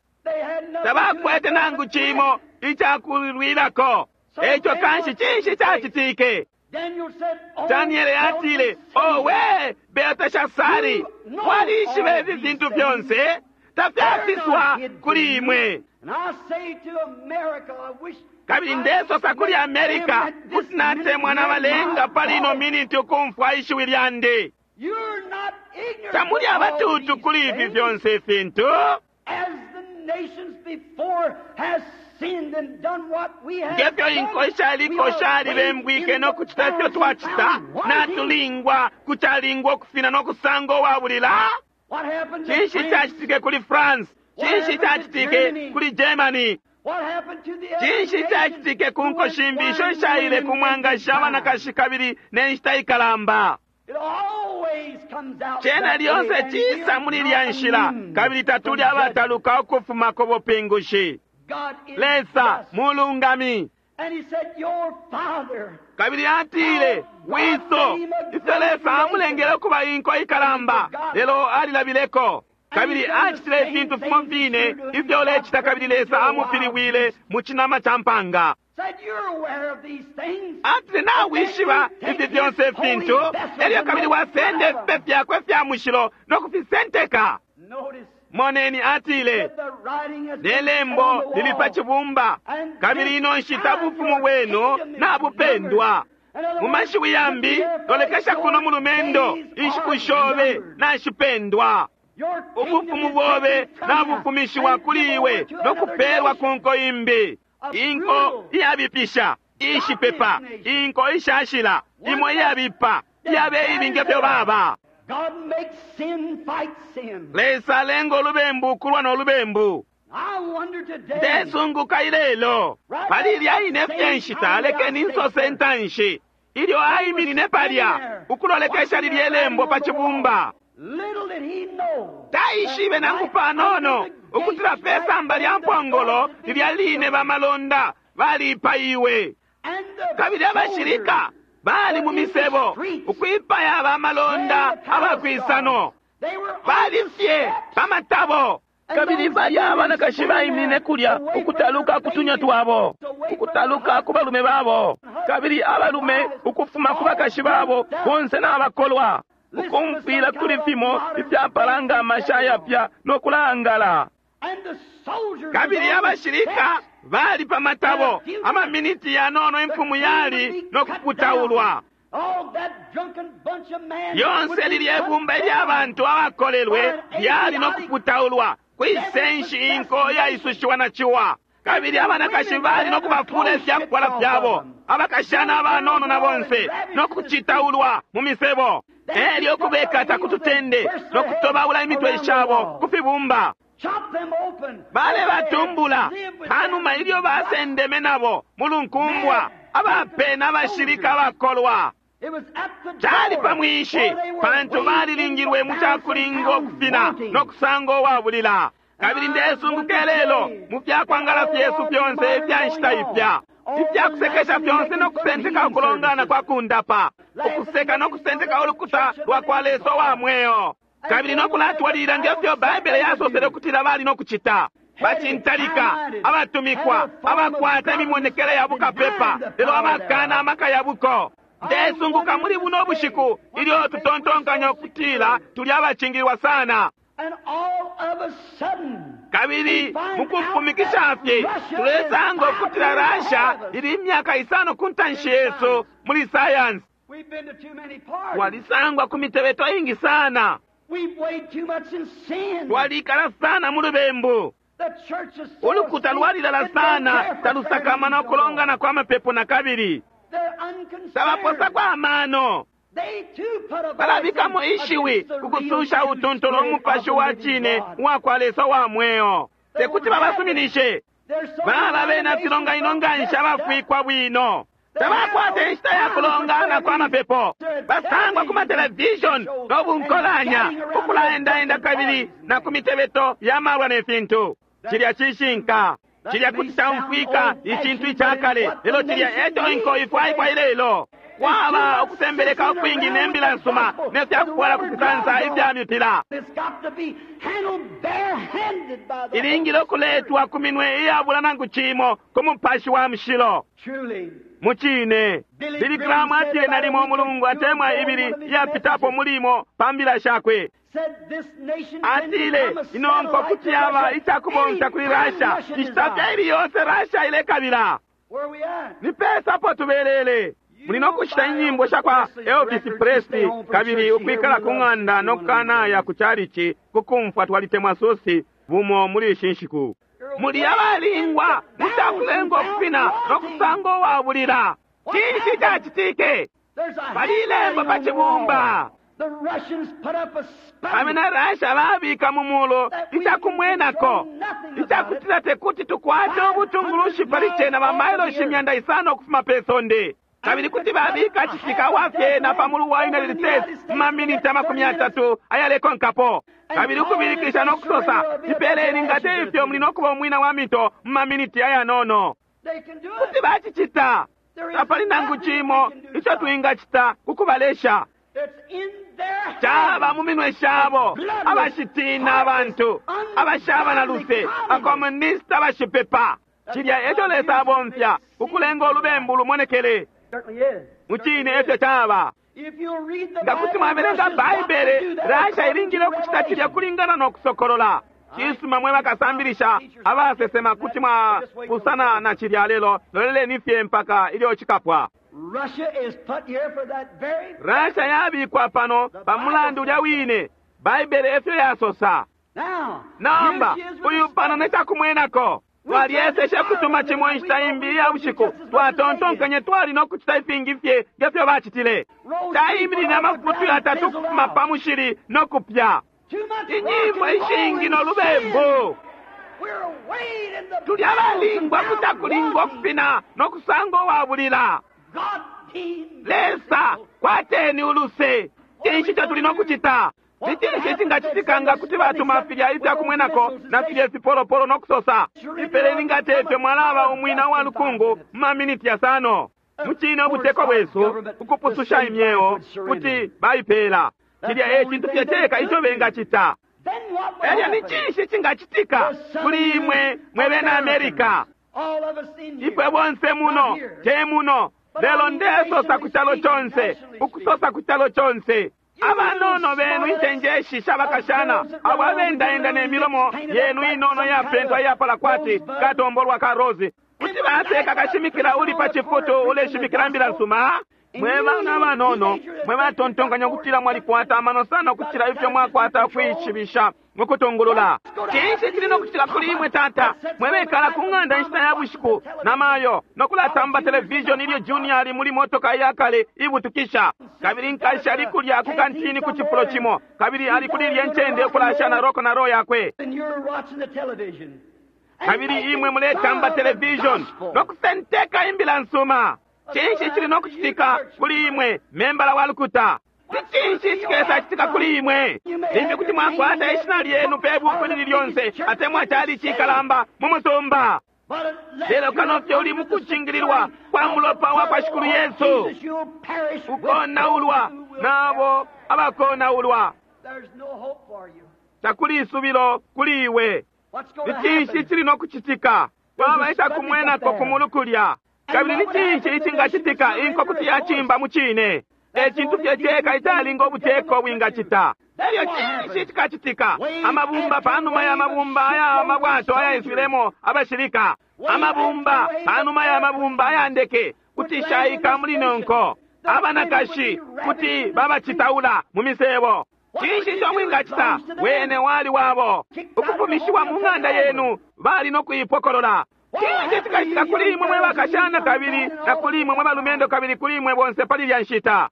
A: Tabakwete nangu cimo icakulwilako. Eco kanshi cinshi cacitike? Daniele atile, owe Belteshasari, walishiba ifi fintu fyonse, tafyafiswa kuli imwe. Kabili ndesosa kuli Amerika kuti natemwa na balenga pali ino miniti ukumfwa ishiwi lyandi. Tamuli abatutu kuli ifi fyonse ifintu. Ngefyo inko ishaliko shalibembwike no kucita ifyo twacita, natulingwa kucalingwa ukufina no kusanga uwabulila. Cinshi cacitike kuli France? Cinshi cacitike kuli Germany? Cinshi cacitike ku nko shimbi isho ishaile ku mwangashi abanakashi kabili ne nshita ikalamba? Cena lyonse cisa muli ilya nshila, kabili tatuli abataluka ukufuma ku bupingushi. Lesa mulungami. Kabili atile, wiso, ifyo Lesa amulengele ukuba inko ikalamba, lelo alilabileko. Kabili acitile ifintu fimo fine ifyo ulecita, kabili Lesa amupiliwile mu cinama ca mpanga. Atile, nawishiba ifi fyonse ifintu, elyo kabili wasenda ifipe fyakwe fya mushilo no kufisenteka. Moneni, atile, ne lembo lili pa cibumba, kabili ino nshita bufumu bwenu nabupendwa. Mu mashiwi yambi, lolekesha kuno mulumendo, inshiku shobe nashipendwa. Ubufumu bobe nabufumishiwa kuli iwe no kupelwa ku nko imbi, inko iyabipisha, ishipepa, inko ishashila, imo iyabipa, iyabe ibi ngefyo baba. Lesa alenga ulubembu ukulwa no lubembu. Ndesunguka ilelo pali ilya ine fye nshita, lekeni nsose intanshi ilyo aiminine palya ukulolekesha lilye lembo pa cibumba. Taishibe nangu panono ukutila pe samba lya mpongolo lilya line bamalonda balipaiwe, kabili abashilika bali mu misebo ukwipaya bamalonda abakwisano, bali fye pa matabo.
B: Kabili balya abanakashi baiminine kulya ukutaluka kutunya twabo, ukutaluka ku balume babo, kabili abalume ukufuma ku bakashi babo bonse nabakolwa, ukumfwila kuli fimo ifyapalanga amasha ayapya no kulangala.
A: Kabili abashilika bali pa matabo, amaminiti yanono imfumu yali no kuputaulwa. Yonse lilye ibumba ilya bantu abakolelwe lyali no kuputaulwa kwisenshi inko yaisushiwa na ciwa. Kabili abanakashi bali no kubafula ifyakufwala fyabo, abakashana abanono na bonse, no kucitaulwa mu misebo, elyo kubekata kututende no kutobaula imitwe shabo ku fibumba. Balebatumbula panuma ilyo basendeme nabo mulunkumbwa, abapena abashilika abakolwa. Cali pa mwinshi, pantu balilingilwe mu cakulinga ukufina no kusanga uwabulila. Kabili ndesunguka lelo mu fyakwangala fyesu fyonse ifya nshita ipya, ifya kusekesha fyonse no kusenteka ukulongana kwa kundapa, ukuseka no kusenteka ulukuta lwa kwa Lesa wa mweo, kabili no kulatwalilila ngefyo Baibele yasosele ukutila bali no kucita. Bacintalika, abatumikwa, abakwata imimonekele ya bukapepa, lelo abakana amaka ya buko. Ndesunguka muli buno bushiku ilyo tutontonkanya ukutila tuli abacingilwa sana. Kabili mukufumikisha fye tulesanga ukutila Russia ili imyaka isano ku ntanshi yesu muli sayansi. Twalisangwa ku mitebeto ingi sana, twalikala sana mu lubembu. Ulukuta lwalilala sana, talusakamana ukulongana kwa mapepo na kabili tabaposako amano. Balabikamo ishiwi kukususha utuntulu umupashi wa cine uwa kwa Lesa wa mweo. Tekuti babasuminishe. Baba bena filonganino nganshi abafwikwa bwino. Tabakwata inshita ya kulongana kwa mapepo. Basangwa ku matelevision no bunkolanya, ukulaendaenda kabili na ku mitebeto ya malwa ne fintu. Cilya cishinka. Cilya kuti caumfwika icintu icakale, lelo cilya eco inko ifwaikwa ilelo. Kwaba ukusembeleka ukwingi ne mbila nsuma ne fyakufwala kufisansa ifya mipila. Ilingile ukuletwa ku minwe iyabula nangu cimo ku Mupashi wa Mushilo. Mucine, Billy Graham atile nalimo umulungu atemwa ibili iyapitapo mulimo pa mbila shakwe. Atile, ino nko kuti yaba icakubomfya kuli Russia, inshita fye ili yonse Russia ilekabila. Ni pesa apo tubelele. Muli no kushita inyimbo sha kwa Elvis Presley kabili ukwikala ku ng'anda no kukanaya ku chalichi kukumfwa twalitemwa susi bumo muli ishi nshiku. Muli abalingwa mucakulenga ukufina no kusanga uwabulila. Cinshi cacitike? Pali ilembo pa cibumba. Abena Russia babika mu mulu icakumwenako icakutila tekuti tukwate ubutungulushi pali cena ba mailoshi 500 ukufuma pe sonde. Kabili kuti babika citika wa fyena pa mulu wa United States mu maminiti 30 ayalekonkapo. Kabili ukubilikisha no kusosa, ipeleni nga te ifyo muli no kuba umwina wa mito mu maminiti ayanono. Kuti bacicita. Tapali nangu cimo ico twingacita ku kubalesha. Caba mu minwe shabo abashitina abantu, abashaba na luse, abakomunista abashipepa. Cilya eco Lesa abomfya ukulenga ulubembu lumonekele. Mucine efyo caba. Nga kuti mwabelenga Baibele, Russia ilingile ukucita cilya kulingana no kusokolola. Cisuma mwe bakasambilisha abasesema kuti mwapusana na cilya lelo, loleleni fye mpaka ilyo cikapwa. Russia yabikwa pano pa mulandu ulya wine. Baibele efyo yasosa. Nomba uyu pano ne cakumwenako. Twalyeseshe kutuma cimo inshita imbi iya bushiku. Twatontonkanye twali no kucita ifingi fye ngefyo bacitile. Caiminine amafutu yatatu ukufuma pa mushili no kupya. Inyimbo ishingi no lubembu. Tuli abalingwa kutakulingwa ukufina no kusanga uwabulila. Lesa, kwateni uluse. Cinshi ico tuli no kucita? Ni cinshi icingacitika nga kuti batuma filya ifyakumwenako na filya ifipolopolo no kusosa, ipeleni nga tefyo mwalaba umwina wa lukungu mu maminiti yasano. Mucine ubuteko bwesu ukupususha imyeo kuti baipela. Cilya e cintu fye ceka ico bengacita. Elyo ni cinshi icingacitika kuli imwe mwe bena Amerika? Ifwe bonse muno, te muno, lelo ndesosa ku calo conse, ukusosa ku calo conse. Abanono benu incenjeshi shabakashana abo abendaenda ne milomo yenu inono yapentwa iyapala kwati katombolwa ka rose. Kuti baseka kashimikila uli pa cifutu uleshimikila mbila nsuma. Mwe bana abanono mwe batontonkanya ukutila mwalikwata amano sana ukucila ifyo mwakwata kwishibisha mukutungulula. Cinshi cili no kucitika kuli imwe tata mwe bekala ku ng'anda inshita ya bushiku na mayo no kulatamba television ilyo junior ali muli motoka iyakale ibutukisha. Kabili nkashi ali kulya ku kantini ku cifulo cimo kabili ali kuli ilye ncende ukulasha na roko na ro yakwe. Kabili imwe muletamba television no kusenteka imbila nsuma. Cinshi cili no kucitika kuli imwe membala wa lukuta? Cinshi cikesa citika kuli imwe? Limbi kuti mwakwata ishina lyenu pe buku lili lyonse atemwa cali cikalamba mu musumba. Lelo kano fye uli mukucingililwa kwa mulopa wa kwa Shikulu Yesu. Ukonaulwa nabo abakonaulwa. Takuli isubilo kuli iwe. Ni cinshi cili no kucitika? Kwaba icakumwenako ku mulu kulya. Kabili ni cinshi icingacitika inko kuti yacimba mu cine? E cintu fye ceka icalinga ubuteko bwingacita. Elyo cinshi cikacitika? Amabumba panuma ya mabumba aya mabwato ayaiswilemo abashilika. Amabumba panuma ya mabumba aya ndeke kuti shaika muli nonko. Abanakashi kuti babacitaula mu misebo. Cinshi ico mwingacita? Wene wali wabo. Ukufumishiwa mu ng'anda yenu bali no kuipokolola. Cinshi cikacitika kuli imwe mwe bakashana kabili na kuli imwe mwe balumendo kabili kuli imwe bonse pali lya nshita?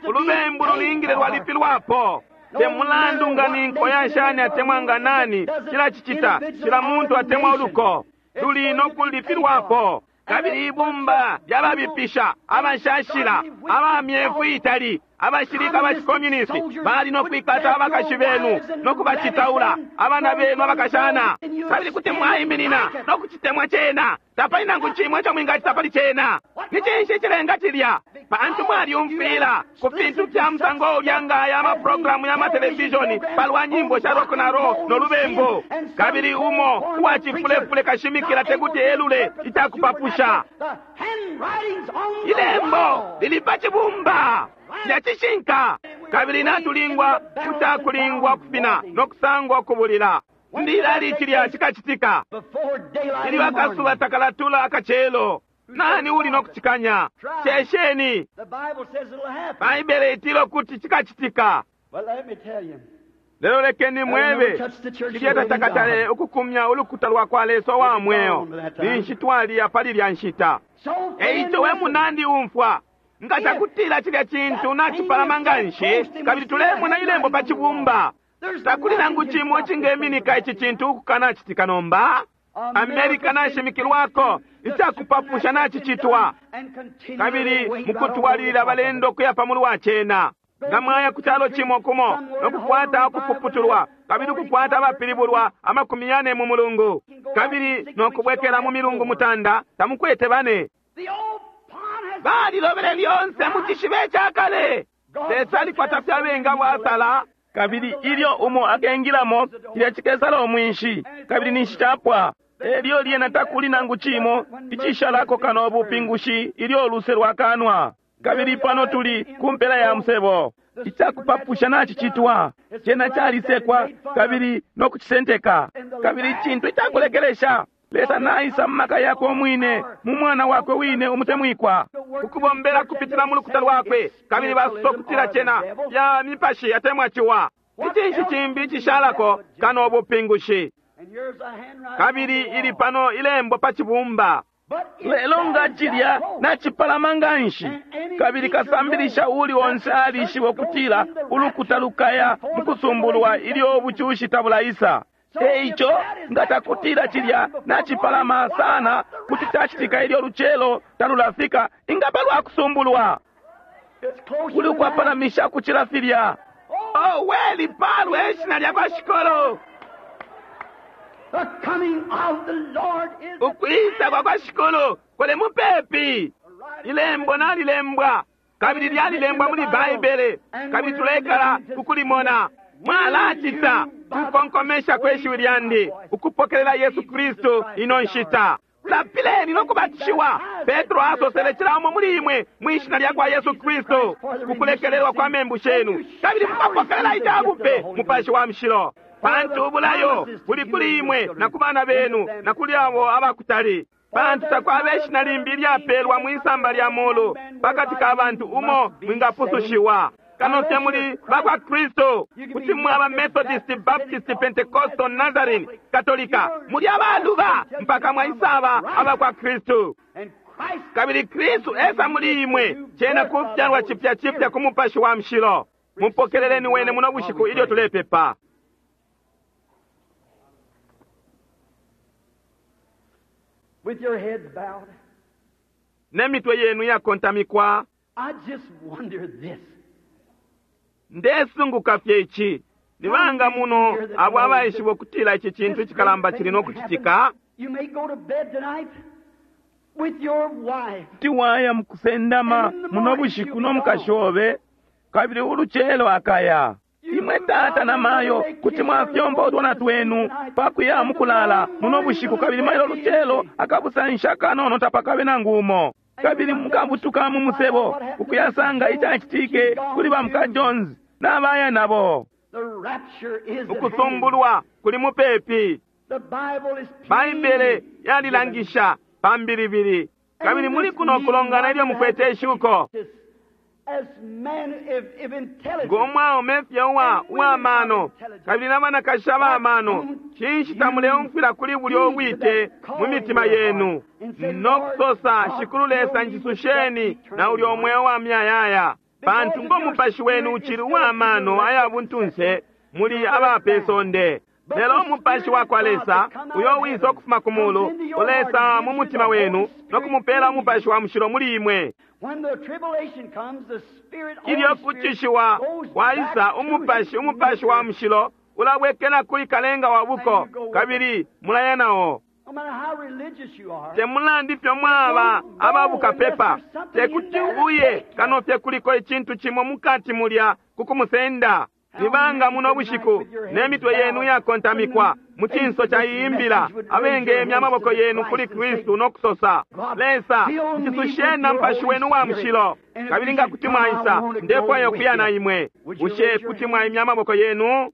A: Ulubembu lulingile lwalipilwapo. Te mulandu nga ni nko ya shani atemwa nga nani cilacicita, cila muntu atemwa uluko luli no kulipilwapo. Kabili ibumba lyababipisha, abashashila, aba myefu itali, Abashilika ba chikomunisti bali no kwikata abakashi benu no kubacitaula abana benu abakashana, kabili kuti mwaiminina no kucitemwa cena. Tapali nangu cimwe ico mwingacita pali cena. Ni cinshi cilenga cilya? Pantu mwalyumfwila ku fintu fya musango ulya nga aya amaprogramu ya matelevishoni palwa nyimbo sha rock na roll no lubembu, kabili umo uwacifulefule kashimikila tekuti elule icakupapusha. Ilembo lili pa cibumba lya cishinka, kabili natulingwa kutakulingwa kufina no kusangwa kubulila. Ndilali cilya cikacitika ilyo akasuba takalatula akacelo. Nani uli no kucikanya? Shesheni. Baibele itila kuti cikacitika. Lelo lekeni mwebe, cilya tatakatale ukukumya ulukuta lwa kwa Lesa wa mweo, ninshi twaliya pali lya nshita. Eico we munandi umfwa, nga cakutila cilya cintu nacipalama nganshi, kabili tulemona ilembo pa cibumba, takuli nangu cimo cingeminika ici cintu ukukanacitika nomba. Amerika nashimikilwako, icakupapusha nacicitwa, kabili mukutwalilila balendo kuya pamulu wa cena. Nga mwaya ku calo cimo kumo no kukwata ukupuputulwa, kabili ukukwata abapilibulwa 40 mu mulungu, kabili no kubwekela mu milungu 9, tamukwete bane. Balilobele lyonse mu cishibe cakale. Lesa alikwata fye abenga bwasala, kabili ilyo umo akengilamo, cilya cikesala umwinshi, kabili ninshi capwa. Elyo lyena takuli nangu cimo icishalako kano ubupingushi ilyo uluse lwakanwa. Kabili pano tuli ku mpela ya musebo. Icakupapusha nacicitwa, cena calisekwa kabili no kucisenteka. Kabili icintu icakulekelesha, Lesa naisa mu maka yakwe umwine, mu mwana wakwe wine umutemwikwa, ukubombela kupitila mu lukuta lwakwe, kabili basosa ukutila cena ya mipashi atemwa ciwa. Icinshi cimbi icishalako kano ubupingushi. Kabili ili pano ilembo pa cibumba. Lelo nga cilya nacipalama nganshi, kabili kasambilisha uli onse alishiba ukutila ulukuta lukaya mukusumbulwa ilyo ubucushi tabulaisa. Eico nga takutila cilya nacipalama sana kuti cacitika ilyo lucelo talulafika, ingaba lwa kusumbulwa kuli ukwapalamisha kucila filya. Oh, we lipalwe ishina lya kwa Shikolo. Ukwisa kwa kwa Shikolo kuli mupepi. Ilembo nalilembwa, kabili lyalilembwa muli Baibele, kabili tulekala ukulimona. Mwalacita kukonkomesha kwe shiwi lyandi ukupokelela Yesu Kristu ino nshita. Lapileni no kubatishiwa. Petro asosele cila umo muli imwe mwishina lya kwa Yesu Kristu kukulekelelwa kwa membu shenu, kabili mukapokelela icabupe Mupashi wa Mushilo. Pantu ubulayo buli kuli imwe na ku bana benu na kuli abo abakutali. Pantu takwaba ishina limbi ilyapelwa mwisamba lya mulu pakati ka bantu umo mwingapusushiwa kano fye muli bakwa Kristu. Kuti mwaba Methodist, Baptist, Pentecostal, Nazarene, Katolika, muli abaluba mpaka mwaisaba abakwa Kristu. Kabili Kristu esa muli imwe, cena kufyalwa cipya cipya ku Mupashi wa Mushilo. Mupokeleleni wene muno bushiku ilyo tulepepa.
C: With your heads bowed,
A: Ne mitwe yenu yakontamikwa,
C: I just wonder this.
A: ndesunguka fye ici. Ni banga muno abo abaishiba ukutila ici cintu icikalamba cili no kucitika?
C: You may go to bed tonight with your wife.
B: Kuti waya mukusendama muno bushiku no mukashi obe, kabili ulucelo akaya. Imwe tata na mayo kuti mwafyomba utwana twenu pakuya mukulala muno bushiku, kabili mailo lucelo akabusansha kanono tapakabe nangu umo. Kabili mukabutuka mu musebo ukuyasanga icacitike kuli ba muka Jones n'abaya nabo.
C: The rapture is at hand.
A: Ukusumbulwa kuli mupepi.
C: The Bible is
A: Baibele yalilangisha pambilibili, kabili muli kuno kulongana ilyo mukwete ishuko.
C: As man, if intelligent,
A: Ng'omwaume fye uwa mano kabili n'abanakashi abamano, cinshi tamuleumfwila kuli bulyo ubwite mu mitima yenu no kusosa, Shikulu Lesa njisusheni na ulyo umweo wa myayaya. Pantu ngo mupashi wenu ucili uwa mano aya buntunse, muli aba pe sonde. Lelo umupashi wa kwa Lesa uyo wisa ukufuma ku mulu ulesa mu mutima wenu no kumupela umupashi wa mushilo muli imwe. Ilyo kucishiwa kwaisa, umupashi, umupashi wa mushilo ulabwekela kuli kalenga wa buko, kabili mulaya nao. Te mulandu ifyo mwaba ababukapepa, te kuti uye kano fye kuliko icintu cimo mukati mulya ku kumusenda. Ni banga muno bushiku ne mitwe yenu iyakontamikwa mu cinso ca iyi mbila, abengemya amaboko yenu kuli Kristu no kusosa, Lesa, njisusheni na Mupashi wenu wa Mushilo, kabili nga kuti mwaisa, ndefwaya ukuya na imwe. Bushe kuti mwaimya amaboko yenu?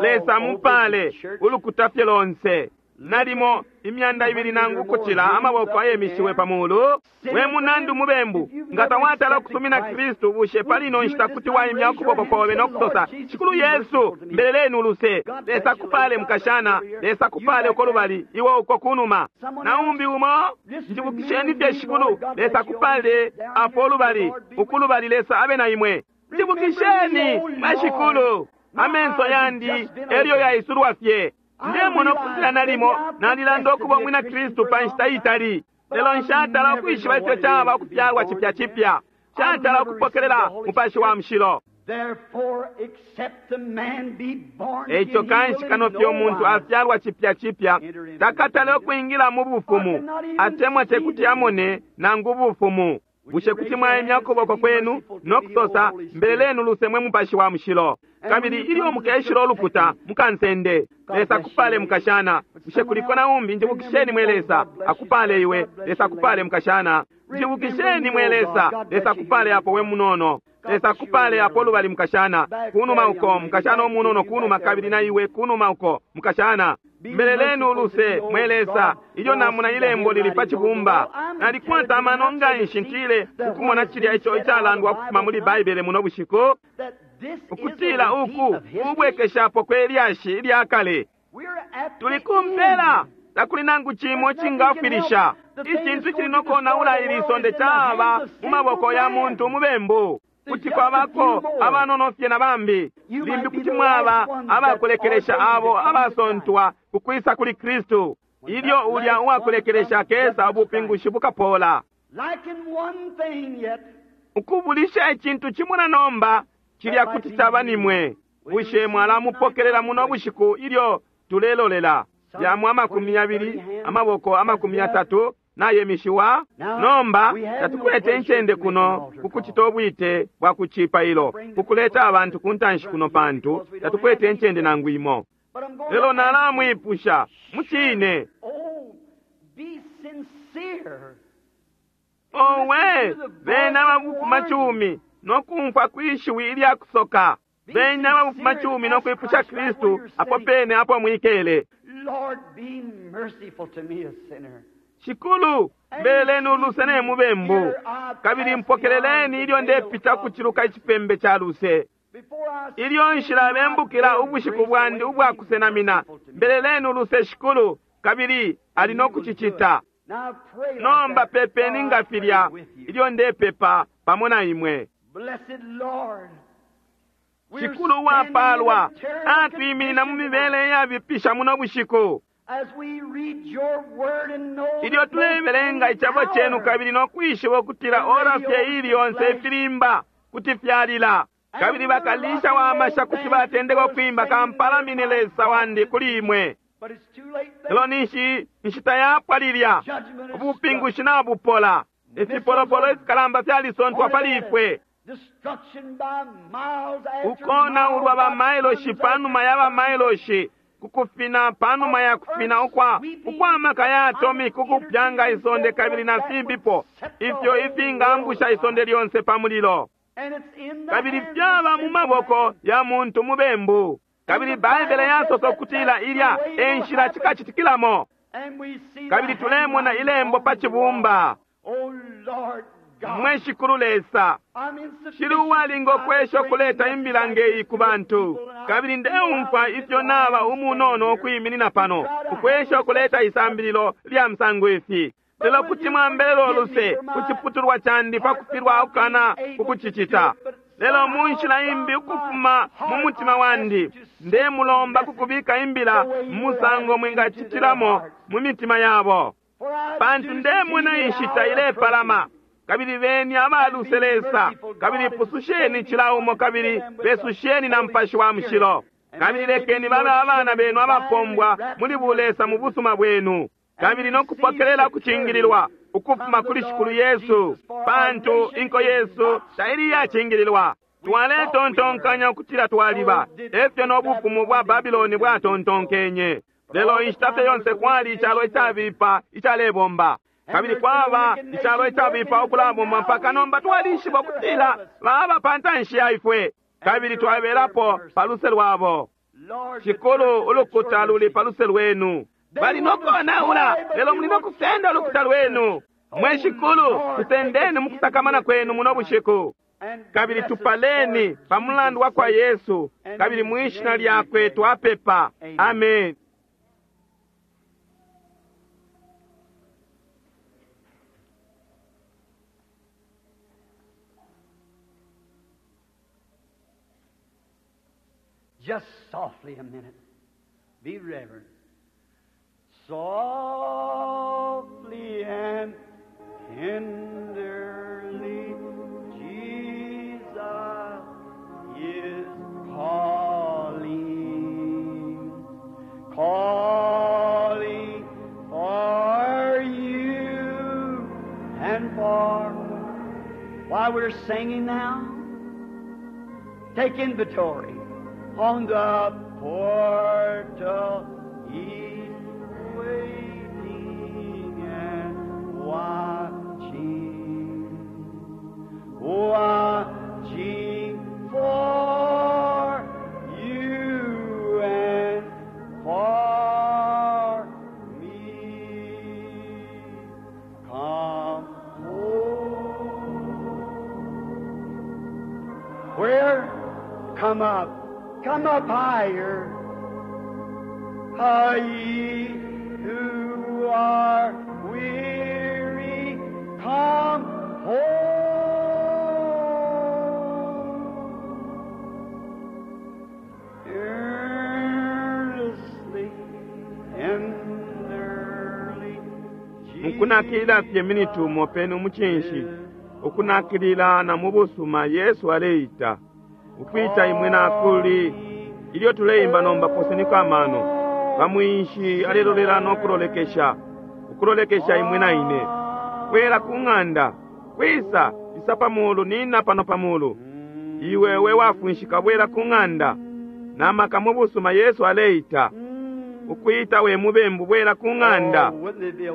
A: Lesa mupale ulukuta fye lonse. Nalimo imyanda ibili nangu ukucila amaboko ayemishiwe pa mulu. We munandi umubembu, nga tawatala ukusumina Kristu, bushe pali ino nshita kuti waimya ukuboko kobe no kusosa, Shikulu Yesu, mbeleleni uluse. Lesa akupale, mukashana. Lesa akupale uko lubali, iwe uko kunuma. Na umbi umo, njibukisheni fye Shikulu. Lesa akupale apo lubali, uku lubali. Lesa abe na imwe. Njibukisheni, mwe Shikulu. Amenso yandi elyo yaisulwa fye. Ndemona ukutila nalimo nalilanda ukuba umwina Kristu pa nshita itali, lelo nshatala ukwishiba ifyo caba ukufyalwa cipya cipya. Nshatala ukupokelela Mupashi wa Mushilo. Eico kanshi kano fye umuntu afyalwa cipya cipya, takatale ukwingila mu bufumu, atemwa tekuti amone nangu ubufumu. Bushe kuti mwaimya ukuboko kwenu no kusosa, Mbeleleni uluse mwe Mupashi wa Mushilo, kabili ilyo mukeshila ulukuta mukansende. Lesa akupale, mukashana. Bushe kuliko na umbi? Njibukisheni mwe Lesa. Akupale iwe. Lesa akupale, mukashana. Njibukisheni mwe Lesa. Lesa akupale apo, we munono. Lesa akupale apo lubali, mukashana. Kunuma uko, mukashana umunono, kunuma, kabili na iwe kunuma uko, mukashana. Mbeleleni uluse mwe Lesa. Ilyo namona ilembo lili pa cibumba, nalikwata amano nganshi ntile ukumona cilya ico icalandwa ukufuma muli Baibele muno bushiku, ukutila uku ubwekeshapo kwe lyashi ilya kale. Tuli ku mpela, takuli nangu cimo icingafwilisha. Icintu icili no konaula ili sonde caba mu maboko ya muntu umubembu. Kuti kwabako abanono fye na bambi. Limbi kuti mwaba abakulekelesha abo abasontwa kukwisa kuli Kristu. Ilyo ulya uwakulekelesha akesa, ubupingushi bukapola. Ukubulisha icintu cimo na nomba, cilya kuti caba nimwe. Bushe mwalamupokelela muno bushiku ilyo tulelolela? Yamo 20, amaboko 30 nayemishiwa. Nomba tatukwete incende kuno kukucita ubwite bwa kucipailo, kukuleta abantu ku ntanshi kuno, pantu tatukwete incende nangu imo. Lelo nalamwipusha mucine, owe bena ababufumacumi no kumfwa kwishiwi ilya kusoka, bena ababufumacumi no kwipusha Kristu apo pene apo mwikele. Shikulu, mbeleleni uluse ne mubembu, kabili mpokeleleni ilyo ndepita kuciluka icipembe ca luse. Ilyo nshilabembukila ubushiku bwandi ubwa kusenamina, mbeleleni uluse Shikulu, kabili ali no kucicita. Nomba pepeni nga filya ilyo ndepepa pamo na imwe. Shikulu uwapalwa, atwiminina mu mibele iyabipisha muno bushiku. Ilyo tulebelenga icebo cenu kabili no kwishiba ukutila ora fye ili yonse ifilimba kuti fyalila, kabili bakalisha wa masha kuti batendeka ukwimba kampalamine Lesa wandi kuli imwe. Lelo ninshi inshita yapwa lilya, ubupingushi nabupola, ifipolopolo ifikalamba fyalisontwa pali ifwe. Ukonaulwa ba mailoshi panuma ya ba mailoshi, kukufina panuma ya kufina ukwa ukwamaka ya atomic ukupyanga isonde kabili na fimbipo ifyo ifingangusha isonde lyonse pa mulilo, kabili fyaba mu maboko ya muntu mubembu. Kabili Baibele yasosa ukutila ilya e nshila cikacitikilamo, kabili tulemona ilembo pa cibumba. Mwe Shikulu Lesa, shili uwalinga ukwesha ukuleta imbila ngeyi ku bantu, kabili ndeumfwa ifyo naba umunono ukwiminina pano ukwesha ukuleta isambililo lya musango ifi. Lelo kuti mwambelela uluse ku ciputulwa candi pa kufilwa ukana ukucicita. Lelo mu nshila imbi ukufuma mu mutima wandi ndemulomba kukubika imbila mu musango mwingacitilamo mu mitima yabo, pantu ndemona inshita ilepalama. Kabili beni abaluse Lesa, kabili pususheni cila umo, kabili besusheni na Mupashi wa Mushilo. Kabili lekeni babe abana benu abapombwa muli bulesa mu busuma bwenu, kabili no kupokelela kucingililwa ukufuma kuli Shikulu Yesu, pantu inko yesu taili iyacingililwa. Twaletontonkanya ukutila twaliba, efyo no bufumu bwa Babiloni bwatontonkenye. Lelo inshita fye yonse kwali icalo icabipa icalebomba, kabili kwaba icalo icabipa ukulabomba mpaka nomba twalishiba ukutila baba pa ntanshi ya ifwe, kabili twabelapo pa luse lwabo. Shikulu, ulukuta luli pa luse lwenu. Bali no konaula, lelo muli no kusenda ulukuta lwenu. Mwe Shikulu, tusendeni mu kusakamana kwenu muno bushiku, kabili tupaleni pa mulandu wa kwa Yesu, kabili mwishina lyakwe twapepa. Amen.
C: Just softly a minute. Be reverent. Softly and tenderly, Jesus is calling, calling for you and for. While we're singing now, take inventory. On the portal he's waiting and watching, watching for you and for me. Come home. Where? Come up. Come up higher. Ah, ye who are weary, come home. Earnestly, tenderly,
A: Mukunakilila fye miniti umo peni umucinshi, ukunakilila na mu busuma Yesu aleita ukwita imwe nakuli. Ilyo tuleimba nomba, poseniko amano pamwinshi alelolela no kulolekesha, ukulolekesha imwe na ine. Kwela ku ng'anda, kwisa isa pamulu, nina pano pamulu. Iwe we wafunshika, bwela ku ng'anda namaka mu busuma Yesu aleita ukwita we mubembu, bwela ku ng'anda.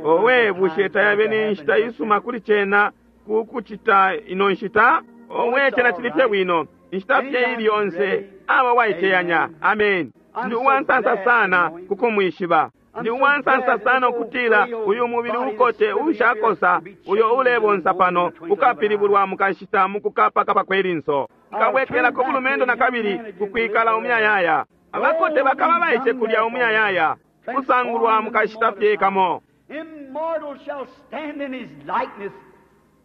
A: Owe, bushe tayabe ni nshita isuma kuli cena kukucita ino nshita? Owe, cena cili fye bwino inshita fye ili yonse aba waiteyanya. Amen. Ndi uwansansa sana kukumwishiba. Ndi uwansansa sana ukutila uyu mubili ukote ushakosa uyo ulebonsa pano ukapilibulwa mukashita mukukapakapa kwelinso, nkabwekelako bulumendo na kabili kukwikala umuyayaya. Abakote bakaba baice kulya umuyayaya, kusangulwa mukashita fye kamo.
C: Immortal shall stand in his likeness,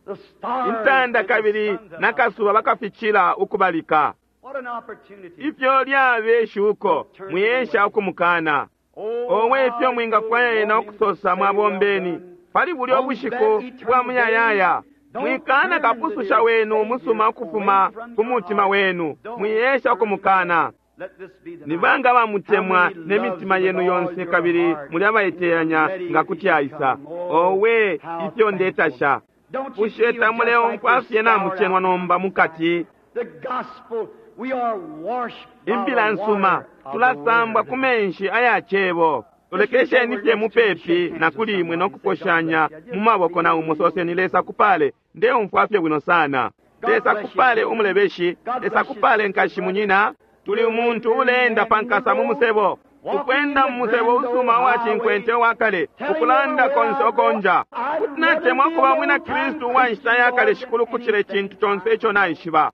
C: the stars
A: Intanda
C: and the
A: kabili
C: suns above.
A: nakasuba bakafichila ukubalika.
C: What an opportunity.
A: Ifyo lyabe shuko, mwiyesha ukumukana. Owe, ifyo mwingafwaya ena ukusosa mwabombeni pali bulyo bushiku bwa muyayaya. Mwikana kapususha wenu umusuma ukufuma ku mutima wenu, mwiyesha ukumukana. Ni banga bamutemwa ne mitima yenu yonse kabili muli abaiteyanya nga kuti aisa? Owe, ifyo ndetasha! Bushe tamuleumfwa fye namucenwa nomba mukati?
C: The gospel, we are washed by
A: Imbila
C: the
A: nsuma,
C: water of the
A: tulasambwa
C: word.
A: ku menshi aya cebo. Lolekesheni fye mupepi na kuli imwe no kuposhanya mu maboko na umo, soseni, Lesa kupale, ndeumfwa fye bwino sana. Lesa kupale umulebeshi, Lesa kupale nkashi munyina. Tuli umuntu uleenda pankasa mu musebo, ukwenda mu musebo usuma wa cinkwente wa kale, ukulanda konse okonja. Kuti natemwa kuba mwina Kristu wa nshita ya kale, Shikulu, kucila icintu conse ico naishiba.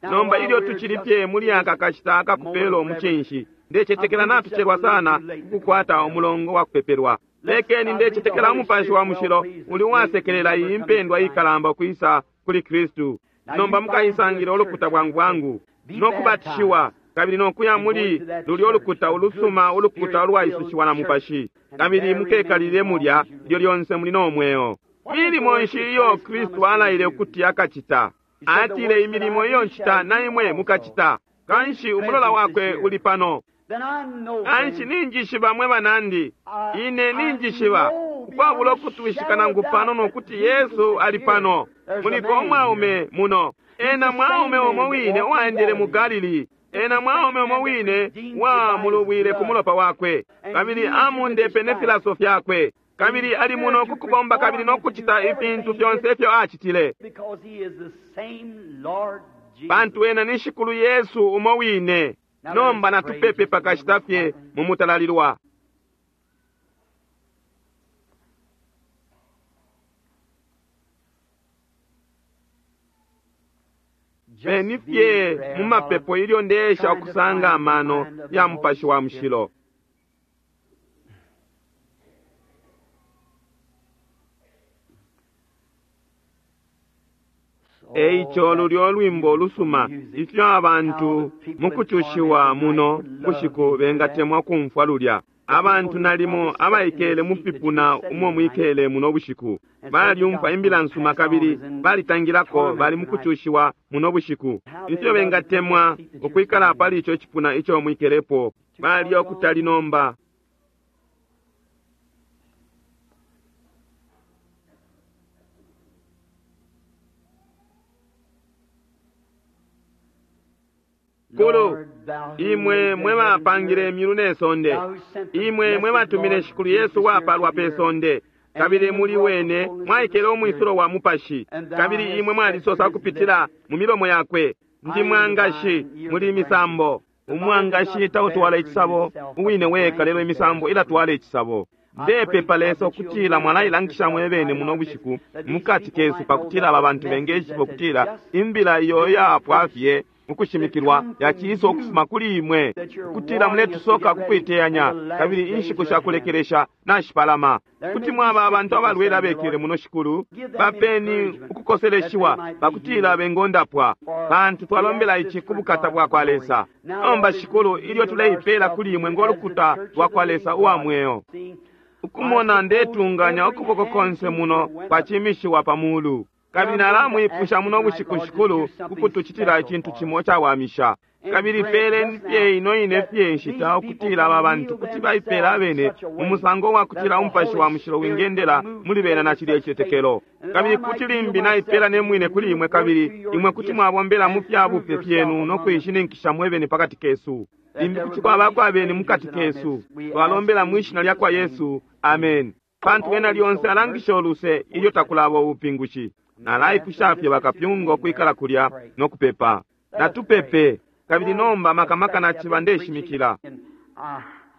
A: Nomba ilyo tucili fye muli aka kashita akakupela umucinshi, ndecetekela natucelwa sana kukukwata umulongo wa kupepelwa. Lekeni, ndecetekela Umupashi wa Mushilo uli uwasekelela iyi mpendwa ikalamba ukwisa kuli Kristu. Nomba mukaisangila ulukuta bwangu bwangu no kubatishiwa. kabili no kuya muli lulyo lukuta ulusuma, ulukuta ulwaisushiwa na Mupashi, kabili mukekalile mulya ilyo lyonse muli no mweo. Milimo nshi iyo Kristu alaile ukuti akacita? Atile, imilimo iyo ncita na imwe mukacita. Kanshi umulola wakwe uli pano. Kanshi ninjishiba, mwe banandi, ine ninjishiba ukwabula ukutwishika nangu pano ukuti Yesu ali pano. Muliko umwaume muno. Ena mwaume umo wine uwaendele mu Galili. Ena mwaume umo wine wamulubwile ku mulopa wakwe, kabili amundepe ne filaso fyakwe, kabili ali muno kukubomba kabili no kucita ifintu fyonse ifyo acitile, pantu ena ni Shikulu Yesu umo wine. Nomba natupepe pakashita fye mu mutalalilwa. Beni fye mu mapepo ilyo ndeesha ukusanga amano ya Mupashi wa Mushilo. Eico lulyo lwimbo lusuma, ifyo abantu mukucushiwa muno bushiku bengatemwa kumfwa lulya. Abantu nalimo abaikele mu fipuna umo mwikele muno bushiku balyumfwa imbila nsuma kabili balitangilako, bali mukucushiwa muno bushiku. Ifyo bengatemwa ukwikala pali ico cipuna ico mwikelepo, bali okutali nomba. Kulu, imwe mwe bapangile imyulu ne sonde, imwe mwe batumile Shikulu Yesu wapalwa pe sonde, kabili muli wene mwaikele umwisulo wa Mupashi, kabili imwe mwalisosa kupitila mu milomo yakwe, ndi mwangashi muli misambo. Umwangashi tautwala icisabo uwine weka, lelo imisambo ilatwala icisabo. Ndepepa Lesa ukutila mwalailangisha mwebene muno bushiku mukati kesu, pakutila aba bantu bengeshiba ukutila imbila iyo yapwa fye ukushimikilwa yaciisa ukufuma kuli imwe, ukutila muletusoka kukwiteyanya, kabili inshiku shakulekelesha nashipalama. Kuti mwaba abantu abalwele abekele muno, Shikulu, bapeni ukukoseleshiwa pakutila bengondapwa, pantu twalombela ici ku bukata bwa kwa Lesa. Nomba Shikulu, ilyo tuleipela kuli imwe ngolukuta lwa kwa Lesa uwa mweo, ukumona ndetunganya ukuboko konse muno kwacimishiwa pa mulu, kabili nalamwipusha muno bushiku, Shikulu, kukutucitila icintu cimo cawamisha. Kabili peleni fye ino ine fye nshita ukutila aba bantu kuti baipela abene mu musango wa kutila Umupashi wa Mushilo wingendela muli bena na cilya icitetekelo. Kabili kuti limbi naipela ne mwine kuli imwe, kabili imwe kuti mwabombela mu fya bupe fyenu no kuishininkisha mwebene pakati kesu. Limbi kuti kwabako abeni mukati kesu. Twalombela mwishina lya kwa Yesu, amen. Pantu ena lyonse alangisha uluse ilyo takulaba ubupingushi. Nalaipusha fye bakapyunga ukwikala kulya no kupepa. Natupepe. Kabili nomba makamaka naciba ndeshimikila.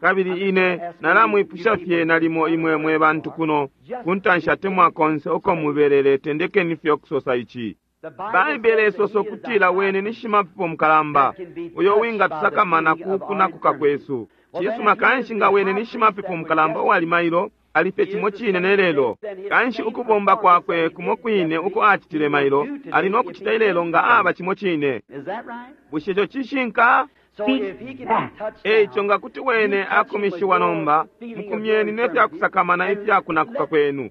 A: Kabili ine nalamwipusha fye nalimo imwe mwe bantu kuno kuntanshi atemwa konse uko mubelele, tendekeni fye ukusosa ici. Baibele isosa ukutila wene ni shimapepo mukalamba uyo wingatusakamana ku kunakuka kwesu. Cisuma, kanshi nga wene ni shimapepo mukalamba uwali mailo, alife cimo cine ne lelo. Kanshi ukubomba kwakwe kumo kwine uko acitile mailo, ali no kucita ilelo nga aba cimo cine. Bushe ico cishinka? Eico nga kuti wene akumishiwa nomba, mukumyeni ne fyakusakamana ifyakunakuka kwenu,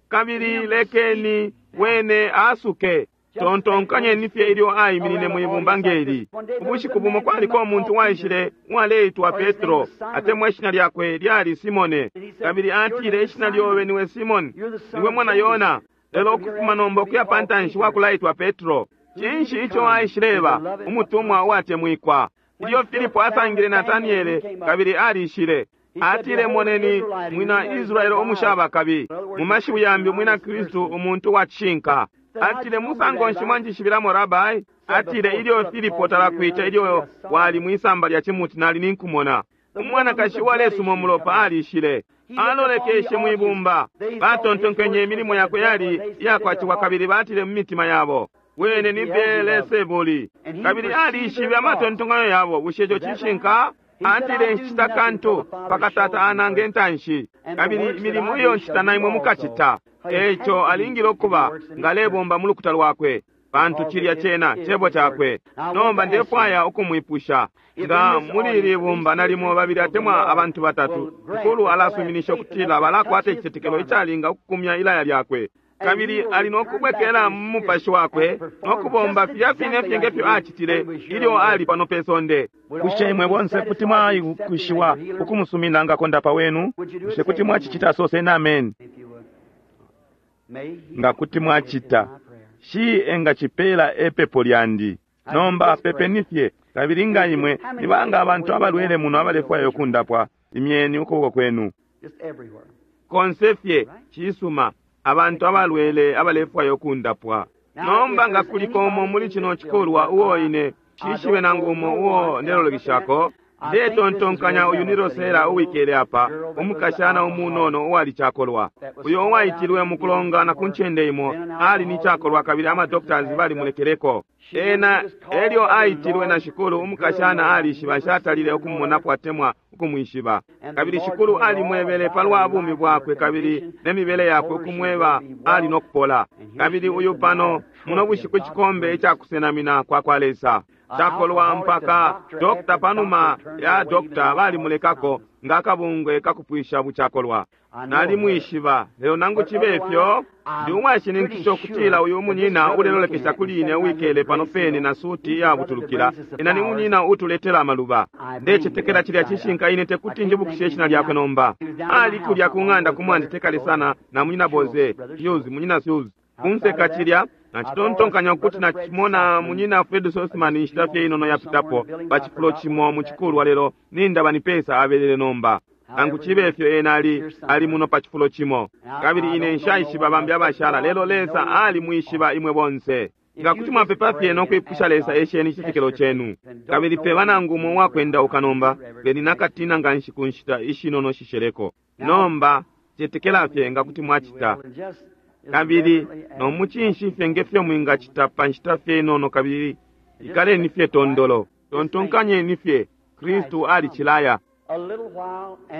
A: kabili lekeni wene asuke. Tontonkanyeni fye ilyo aiminine mwibumba ngeli. Ubushiku bumo kwaliko umuntu waishile uwaleitwa Petro, atemwa ishina lyakwe lyali Simone, kabili atile, ishina lyobe niwe Simone, niwe mwana Yona, lelo ukufuma nomba ukuya pantanshi wakulaitwa Petro. Cinshi ico aishileba? Umutumwa uwatemwikwa. Ilyo Filipo asangile Nataniele kabili alishile, atile, moneni mwina Israele umushaba kabi. Mu mashiwi yambi, umwina Kristu, umuntu wa cishinka. Atile, musango nshi mwanjishibilamo, Rabai? Atile, ilyo Filipo talakwita, ilyo wali mwisamba lya cimuti, nali ninkumona. Umwanakashi uwalesuma umulopa alishile, alolekeshe mwibumba. Batontonkenye imilimo yakwe yali iyakwaciwa, kabili batile mu mitima yabo, wene ni Beelesebuli. Kabili alishibe amatontonkanyo yabo. Bushe ico cishinka? Atile, nshita kantu pakatata anange ntanshi, kabili imilimo iyo nshita na imwe mukacita. Eico alingile ukuba ngalebomba mu lukuta lwakwe. Pantu cilya cena Cebo Cakwe. Nomba ndefwaya ukumwipusha. Nga muli ili bumba nalimo babili atemwa abantu batatu, Shikulu alasuminisha ukutila balakwata icitetekelo icalinga ukukumya ilaya lyakwe. Kabili ali no kubwekela mu mupashi wakwe no kubomba filya fine fye nge fyo acitile ilyo ali pano pe sonde.
B: Bushe imwe bonse kuti mwaikushiwa ukumusumina nga kondapa wenu? Bushe kuti mwacicita? Soseni ameni. Nga kuti mwacita, shi engacipela epepo lyandi. Nomba pepeni fye. Kabili nga imwe ni banga abantu abalwele muno abalefwaya ukundapwa, imyeni ukuboko kwenu.
A: Konse fye, cisuma, abantu abalwele abalefwaya ukundapwa. Nomba nga kuliko umo muli cino cikulwa uo ine shishibe nangu umo uo ndelolekeshako, ndetontonkanya uyu ni Rosella uwikele apa, umukashana umunono uwali cakolwa, uyo uwaitilwe mukulongana ku ncende imo, ali ni cakolwa kabili ama doctors balimulekeleko ena. Elyo aitilwe na Shikulu, umukashana alishiba nshatalile ukumumonapo atemwa ukumwishiba. Kabili Shikulu alimwebele palwa bumi bwakwe kabili ne mibele yakwe, ukumweba ali no kupola. Kabili uyu pano muno bushiku icikombe icakusenamina kwa kwa Lesa, cakolwa mpaka dokta panuma ya dokta balimulekako nga akabungwe kakupwisha bucakolwa. Nalimwishiba, lelo nangu cibe fyo ndi uwashininkisha ukutila uyu munyina ulelolekesha kuli ine uwikele pano pene na suti iyabutulukila, ena ni munyina utuletela amaluba. Ndecetekela cilya cishinka. Ine tekuti njibukishe ishina lyakwe nomba. Ali kulya ku ng'anda kumwandi tekale sana na munyina Boze Hughes, munyina Hughes. Kunseka cilya nacitontonkanya ukuti nacimona munyina Fred Sosman inshita fye inono yapitapo pa cifulo cimo mu cikulwa, lelo nindaba ni pesa abelele nomba. Nangu cibe fyo ena ali ali muno pa cifulo cimo. Kabili ine nshaishiba bambi abashala, lelo Lesa alimwishiba imwe bonse. Nga kuti mwapepa fye no kwipusha Lesa, esheni icitetekelo cenu. Kabili peba nangu umo uwakwendauka nomba, beni nakatina nga nshi ku nshita ishinono shisheleko. Nomba cetekela fye nga kuti mwacita. Kabili no mucinshi fye nge fyo mwingacita pa nshita fye inono, kabili ikaleni fye tondolo. Tontonkanyeni fye, Kristu alicilaya.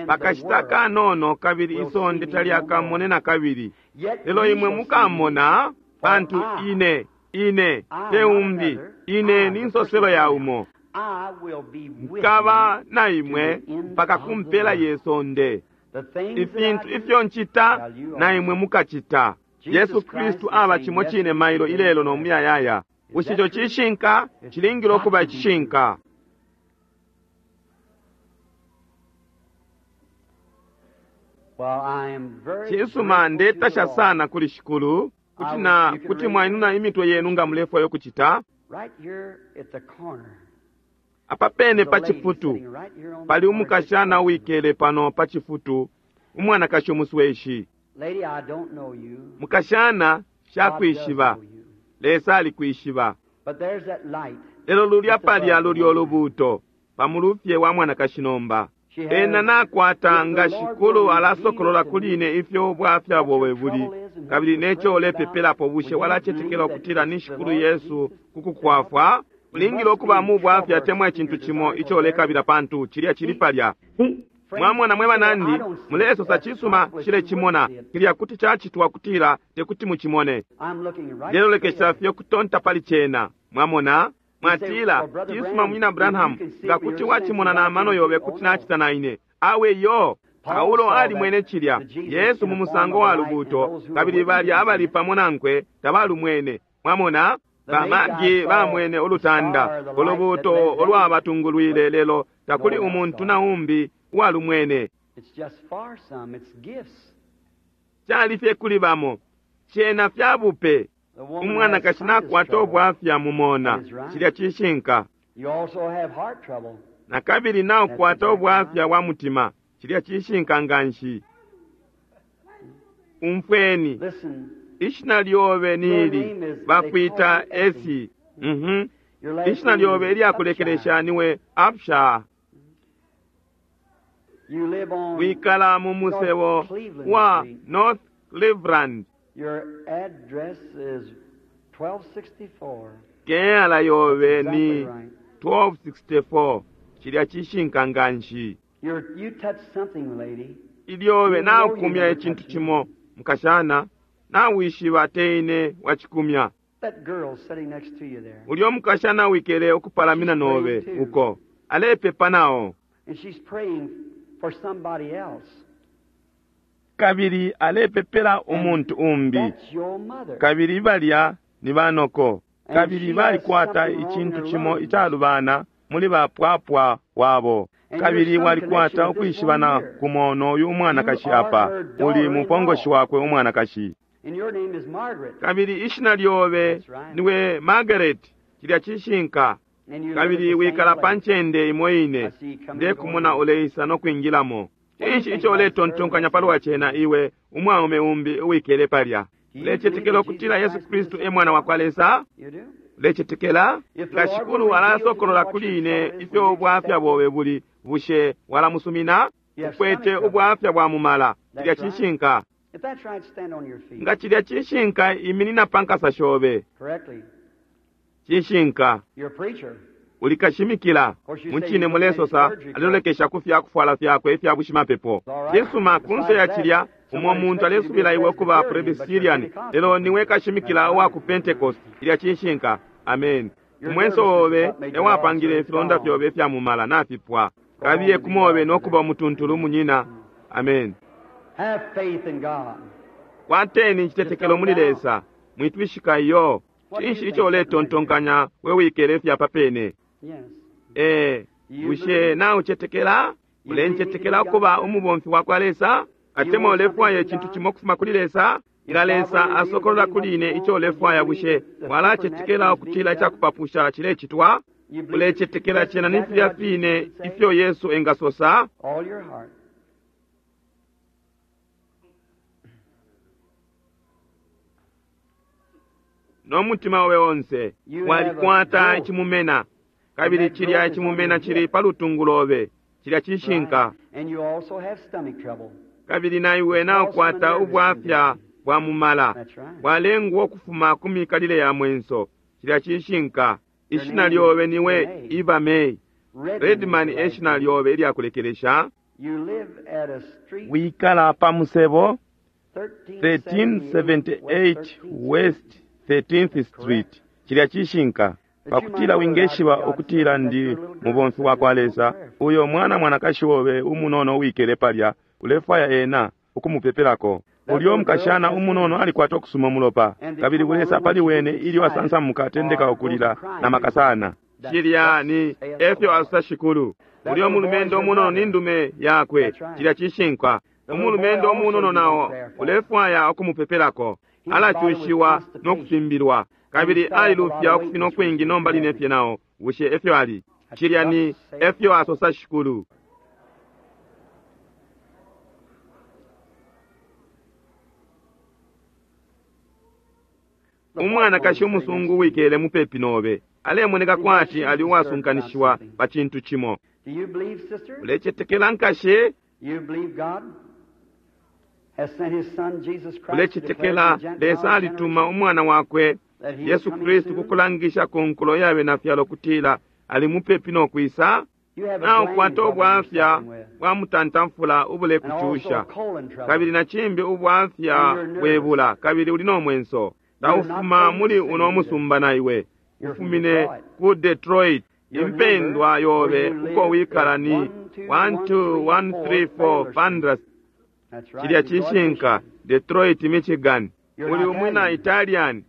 A: Pakashita kanono kabili isonde talyakamone na kabili, lelo imwe mukamona, pantu ine, ine te umbi, ine ni nsoselo ya umo. Nkaba na imwe mpaka ku mpela ye sonde. Ifintu ifyo ncita na imwe mukacita. Yesu Kristu aba cimo cine mailo, ilelo no muyayaya. Bushe ico cishinka? Cilingile ukuba icishinka. Cisuma, ndetasha sana kuli Shikulu kuti na kuti mwainuna imitwe yenu nga mulefwaya ukucita. Apa pene pa cifutu pali umukashana uwikele pano pa cifutu, umwanakashi umusweshi. Mukashana, shakwishiba, Lesa alikwishiba. Lelo lulya palya lulyo lubuuto pamulufye wa mwanakashi nomba. Ena nakwata, nga Shikulu alasokolola kuli ine ifyo ubwafya bobe buli kabili neco ulepepelapo, bushe walacetekela ukutila ni Shikulu Yesu kukukwafwa? Ulingile ukuba mu bwafya atemwa icintu cimo ico ulekabila, pantu cilya cili palya. Mwamona mwe banandi, mulesosa cisuma, shilecimona. Cilya kuti cacitwa kutila tekuti mucimone. Lelolekesha fye kutonta pali cena. Mwamona? Mwatila, cisuma munyina Branham, nga kuti wacimona na mano yobe, kuti nacita na ine. Awe yo! Paulo alimwene cilya Yesu mu musango wa lubuuto, kabili balya abali pamo nankwe tabalumwene. Mwamona? Bamagi bamwene ulutanda, ulubuuto ulwabatungulwile, lelo takuli umuntu na umbi uwalumwene. Cali fye kuli bamo, cena fya bupe. Umwanakashi nakwata ubwafya mumona, cilya cishinka. Na kabili naukwata ubwafya bwa mutima, cilya cishinka nganshi. Umfweni, ishina lyobe nili bakwita Esi. Ishina lyobe ilyakulekelesha niwe Absha. Wikala mu musebo wa North Cleveland.
C: Your address is 1264.
A: Keyala yobe ni 1264. Cilya cishinka nganshi.
C: You touched something, lady.
A: Ilyobe naukumya icintu cimo, mukashana, nawishiba teine wacikumya.
C: That girl sitting next to you there.
A: Ulyo mukashana wikele ukupalamina nobe uko alepepa nao.
C: And she's praying for somebody else.
A: Kabili alepepela umuntu umbi.
C: That's your mother.
A: Kabili balya ni banoko. Kabili balikwata icintu cimo icalubana muli bapwapwa wabo. Kabili walikwata ukwishibana kumo n'oyu umwanakashi apa uli mupongoshi wakwe umwanakashi.
C: And your name is Margaret.
A: Kabili ishina lyobe niwe Margaret, cilya cishinka.
C: And you live
A: Kabili
C: at the same
A: wikala pa
C: place.
A: ncende imo ine, ndekumona uleisa no kwingilamo. Cinshi ico uletontonkanya palwa cena iwe umwaume umbi uwikele palya? Ulecetekela ukutila Yesu Kristu e mwana wa kwa Lesa?
C: You do?
A: Ulecetekela? Nga Shikulu alasokolola kuli ine ifyo ubwafya bobe buli, bushe walamusumina? Ukwete ubwafya bwa mumala, cilya cishinka.
C: If that's right, stand on your feet.
A: Nga cilya cishinka, iminina pa nkasa shobe.
C: Correctly.
A: Cishinka.
C: You're a preacher.
A: Uli kashimikila. Mucine mulesosa alelolekesha ku fyakufwala fyakwe ifya bushimapepo. Cisuma, kunse ya cilya umo muntu alesubila iwe kuba Presbyterian, lelo niwe kashimikila uwa ku Pentecost. Cilya cishinka. Amen. Umwenso obe ewapangile ifilonda fyobe ifya mumala nafipwa. Kabiye kumobe nokuba umutuntulu munyina. Amen.
C: Have faith in God.
A: Kwateni icitetekelo muli Lesa. Mwitwishika iyo. Cinshi ico uletontonkanya we wikele ifya papene?
C: Yes.
A: Ee, bushe naucetekela? Ulencetekela ukuba umubomfi wa kwa Lesa? Atemwa ulefwaya icintu cimo ukufuma kuli Lesa? Nga Lesa asokolola kuli ine ico ulefwaya, bushe walacetekela ukutila icakupapusha cilecitwa?
C: You believe
A: Ulecetekela cena ni filya fine ifyo Yesu engasosa?
C: all your heart.
A: No mutima obe onse walikwata icimumena, kabili cilya icimumena cili pa lutungu lobe. Cilya cishinka.
C: And you also have stomach trouble.
A: Kabili na iwe naukwata ubwafya bwa mumala,
C: That's right.
A: bwalengwa ukufuma ku mikalile ya mwenso. Cilya cishinka. Ishina lyobe niwe Eva May.
C: Redman,
A: Redman
C: is
A: e
C: your
A: shina
C: last name.
A: lyobe ilyakulekelesha.
C: You live at a street
A: Wikala pa musebo
C: 1378
A: 1378 West 13th Street. Cilya cishinka. Pakutila wingeshiba ukutila ndi mubomfi wa kwa Lesa, uyo mwana mwanakashi wobe umunono uwikele palya, ulefwaya ena ukumupepelako. Ulyo mukashana umunono alikwata ukusuma mulopa, kabili bulesa pali wene ilyo asansamuka atendeka ukulila na makasana. Cilya ni efyo asosa Shikulu. Ulyo mulumendo umunono ni ndume yakwe, cilya cishinka. Umulumendo umunono nao ulefwaya ukumupepelako, alacushiwa no kufimbilwa, kabili alilufya ukufina ukwingi nomba line fye nao. Bushe efyo ali? Cilya ni efyo asosa Shikulu. Umwanakashi umusungu wikele mupepi nobe alemoneka kwati ali uwasunkanishiwa pa cintu cimo.
C: Do you believe, sister?
A: Ulecetekela nkashi?
C: You believe God has sent His Son Jesus Christ to declare
A: Ulecetekela
C: to the Gentile
A: Lesa alituma
C: generation
A: umwana wakwe
C: that he is
A: Yesu
C: coming
A: Kristu
C: soon?
A: kukulangisha ku nkulo yabe na fyalo kutila ali mupepi no kwisa.
C: You have a
A: Naukwata
C: gland trouble you're
A: ubwafya
C: suffering with,
A: bwa mutantamfula
C: and also
A: ubulekucusha,
C: colon trouble.
A: kabili na cimbi ubwafya bwebula, kabili uli no mwenso. Taufuma muli uno musumba na iwe, ufumine ku Detroit. Impendwa yobe uko wikala ni 12134 Pandras.
C: That's right.
A: Cilya
C: Detroit,
A: cishinka,
C: Michigan.
A: Detroit, Michigan.
C: You're
A: Uli
C: not
A: umwina
C: Italian.
A: Italian.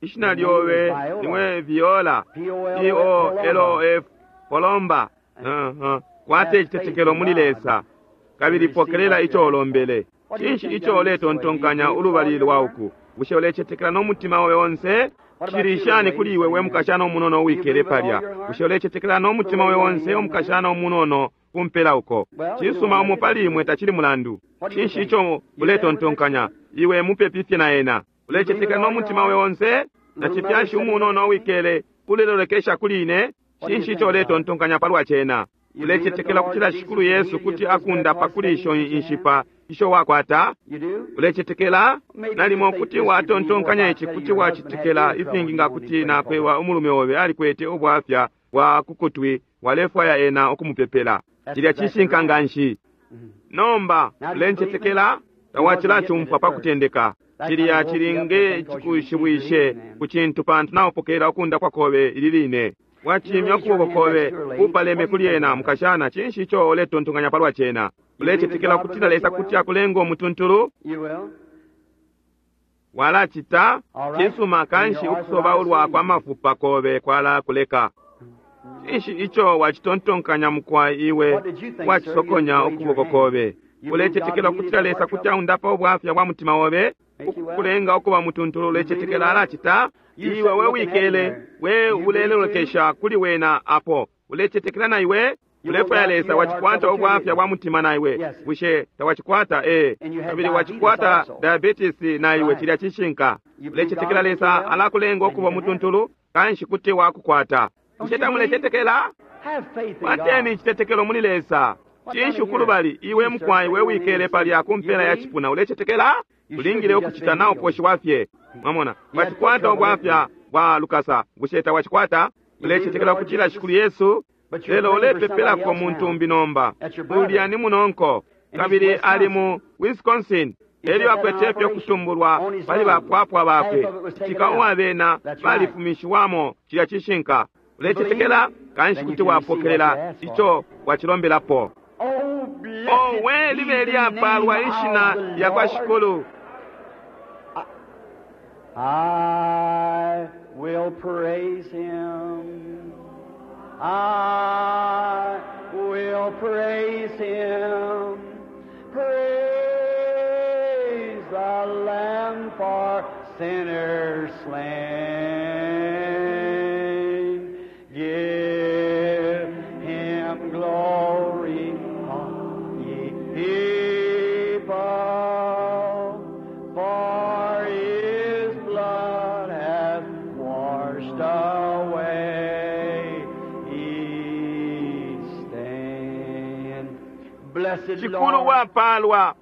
A: Ishina lyobe niwe Viola,
C: P-O-L-O-F,
A: P-O-L-O-F, Polomba. Uh-huh. Kwate icitetekelo muli Lesa, kabili pokelela ico ulombele. Cinshi ico uletontonkanya ulubali lwa uku? Bushe ulecetekela no mutima obe onse? Cili shani kuli iwe we mukashana umunono uwikele palya? Bushe ulecetekela no mutima obe onse umukashana umunono kumpela uko? Cisuma, umo pali imwe tacili mulandu. Cinshi ico uletontonkanya? Iwe mupepi fye na ena. Ulecetekela no mutima obe onse? Na cifyashi umunono uwikele ulelolekesha kuli ine? Cinshi ico uletontonkanya palwa cena? Ulecetekela kutila Shikulu Yesu kuti akundapa kuli isho inshipa isho wakwata?
C: You do?
A: Ulecetekela? Nalimo kuti watontonkanya ici kuti wacitekela ifingi nga kuti nakwewa umulume obe alikwete ubwafya bwa kukutwi walefwaya ena ukumupepela. Cilya cishinka nganshi. Nomba ulencetekela? Tawacilacumfwa pa kutendeka. Cilya cilinge cikushibwishe ku cintu pantu naupokelela ukundapwa kobe ili line. Wacimya ukuboko kobe upaleme kuli ena mukashana. Cinshi ico uletontonkanya palwa cena? Ulecetekela ukutila Lesa kuti akulenga umutuntulu?
C: You will?
A: Walacita? Cisuma, kanshi ukusobaulwa kwa mafupa kobe kwalakuleka. Cinshi ico wacitontonkanya mukwai iwe wacisokonya ukuboko kobe? Ulecetekela ukutila Lesa kuti aundapa ubwafya bwa mutima obe, ukukulenga ukuba mutuntulu? Ulecetekela alacita? Iwe we wikele we ulelolekesha kuli wena apo. Ulecetekela na iwe? Ulefwaya Lesa wacikwata ubwafya bwa mutima na iwe. Bushe tawacikwata? Ee. Kabili wacikwata diabetes na iwe, cilya cishinka. Ulecetekela Lesa alakulenga ukuba mutuntulu, kanshi kuti wakukwata. Bushe tamulecetekela?
C: Have faith in
A: Kwateni
C: God.
A: icitetekelo muli Lesa. Cinshi ukulubali iwe mukwai we wikele palya ku mpela ya cipuna ulecetekela? Ulingile ukucita na uposhiwa fye. Mwamona, wacikwata ubwafya bwa lukasa. Bushe tawacikwata? Ulecetekela ukutila Shikulu Yesu?
C: But you're
A: Lelo
C: praying for somebody
A: ulepepelako
C: else
A: muntu
C: now.
A: umbi nomba.
C: That's your brother.
A: Ulya ni munonko kabili ali mu Wisconsin. Elyo akwete fye ukutumbulwa pali bapwapwa bakwe. Cika uwabena balifumishiwamo cilya cishinka. Ulecetekela? Kanshi kuti wapokelela ico wacilombelapo.
C: Oh, blessed
A: Owe
C: be
A: libe
C: the name
A: lyapalwa ishina
C: of the
A: lya kwa
C: Lord.
A: Shikulu.
C: I will praise him. I will praise him. Praise the Lamb for sinners slain. Give him glory, all ye people, for his blood hath washed away each stain. Blessed
A: Shikulu
C: Lord,
A: wapalwa.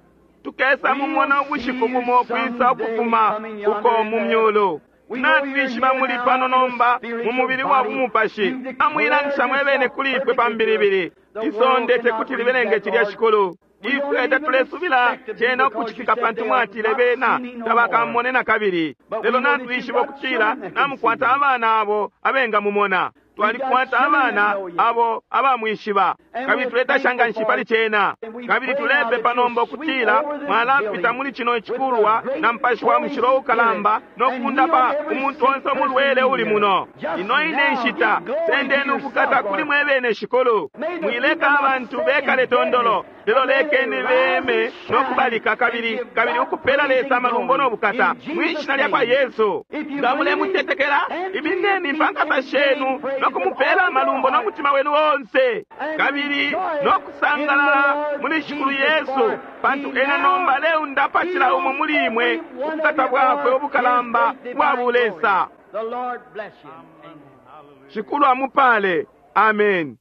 A: Tukesa mumona ubushiku bumo kwisa ukufuma uko mu myulu. Natwishiba muli pano nomba mu mubili wa bumupashi. Amwilangisha mwebene kuli ifwe pa mbilibili. Isonde tekuti libelenge cilya Shikulu. Ifwe tatulesubila cena ukucitika pantu mwatile bena tabakamone na kabili. Lelo natwishiba ukutila namukwata abana abo abengamumona. Twalikwata abana abo abamwishiba kabili tuletasha nganshi pali cena. Kabili tulepepa nomba ukutila mwalapita muli chino chikulwa na mpashi wa mushilo ukalamba no kundapa umuntu onse umulwele uli muno. Ino ine nshita sendeni ukukata kuli mwebene Shikulu. Mwileka abantu bekale tondolo, lelo lekeni beme no kubalika kabili kabili ukupela Lesa amalumbo no bukata mwishina lya kwa Yesu. Nga mulemutetekela, imineni mpankasa shenu no kumupela amalumbo no mutima wenu onse kabili no kusangalala muli Shikulu Yesu, pantu ena nomba leundapa cila umo muli imwe ubukata bwakwe ubukalamba bwa bulesa.
C: The Lord bless you. Amen.
A: Shikulu amupale. Amen.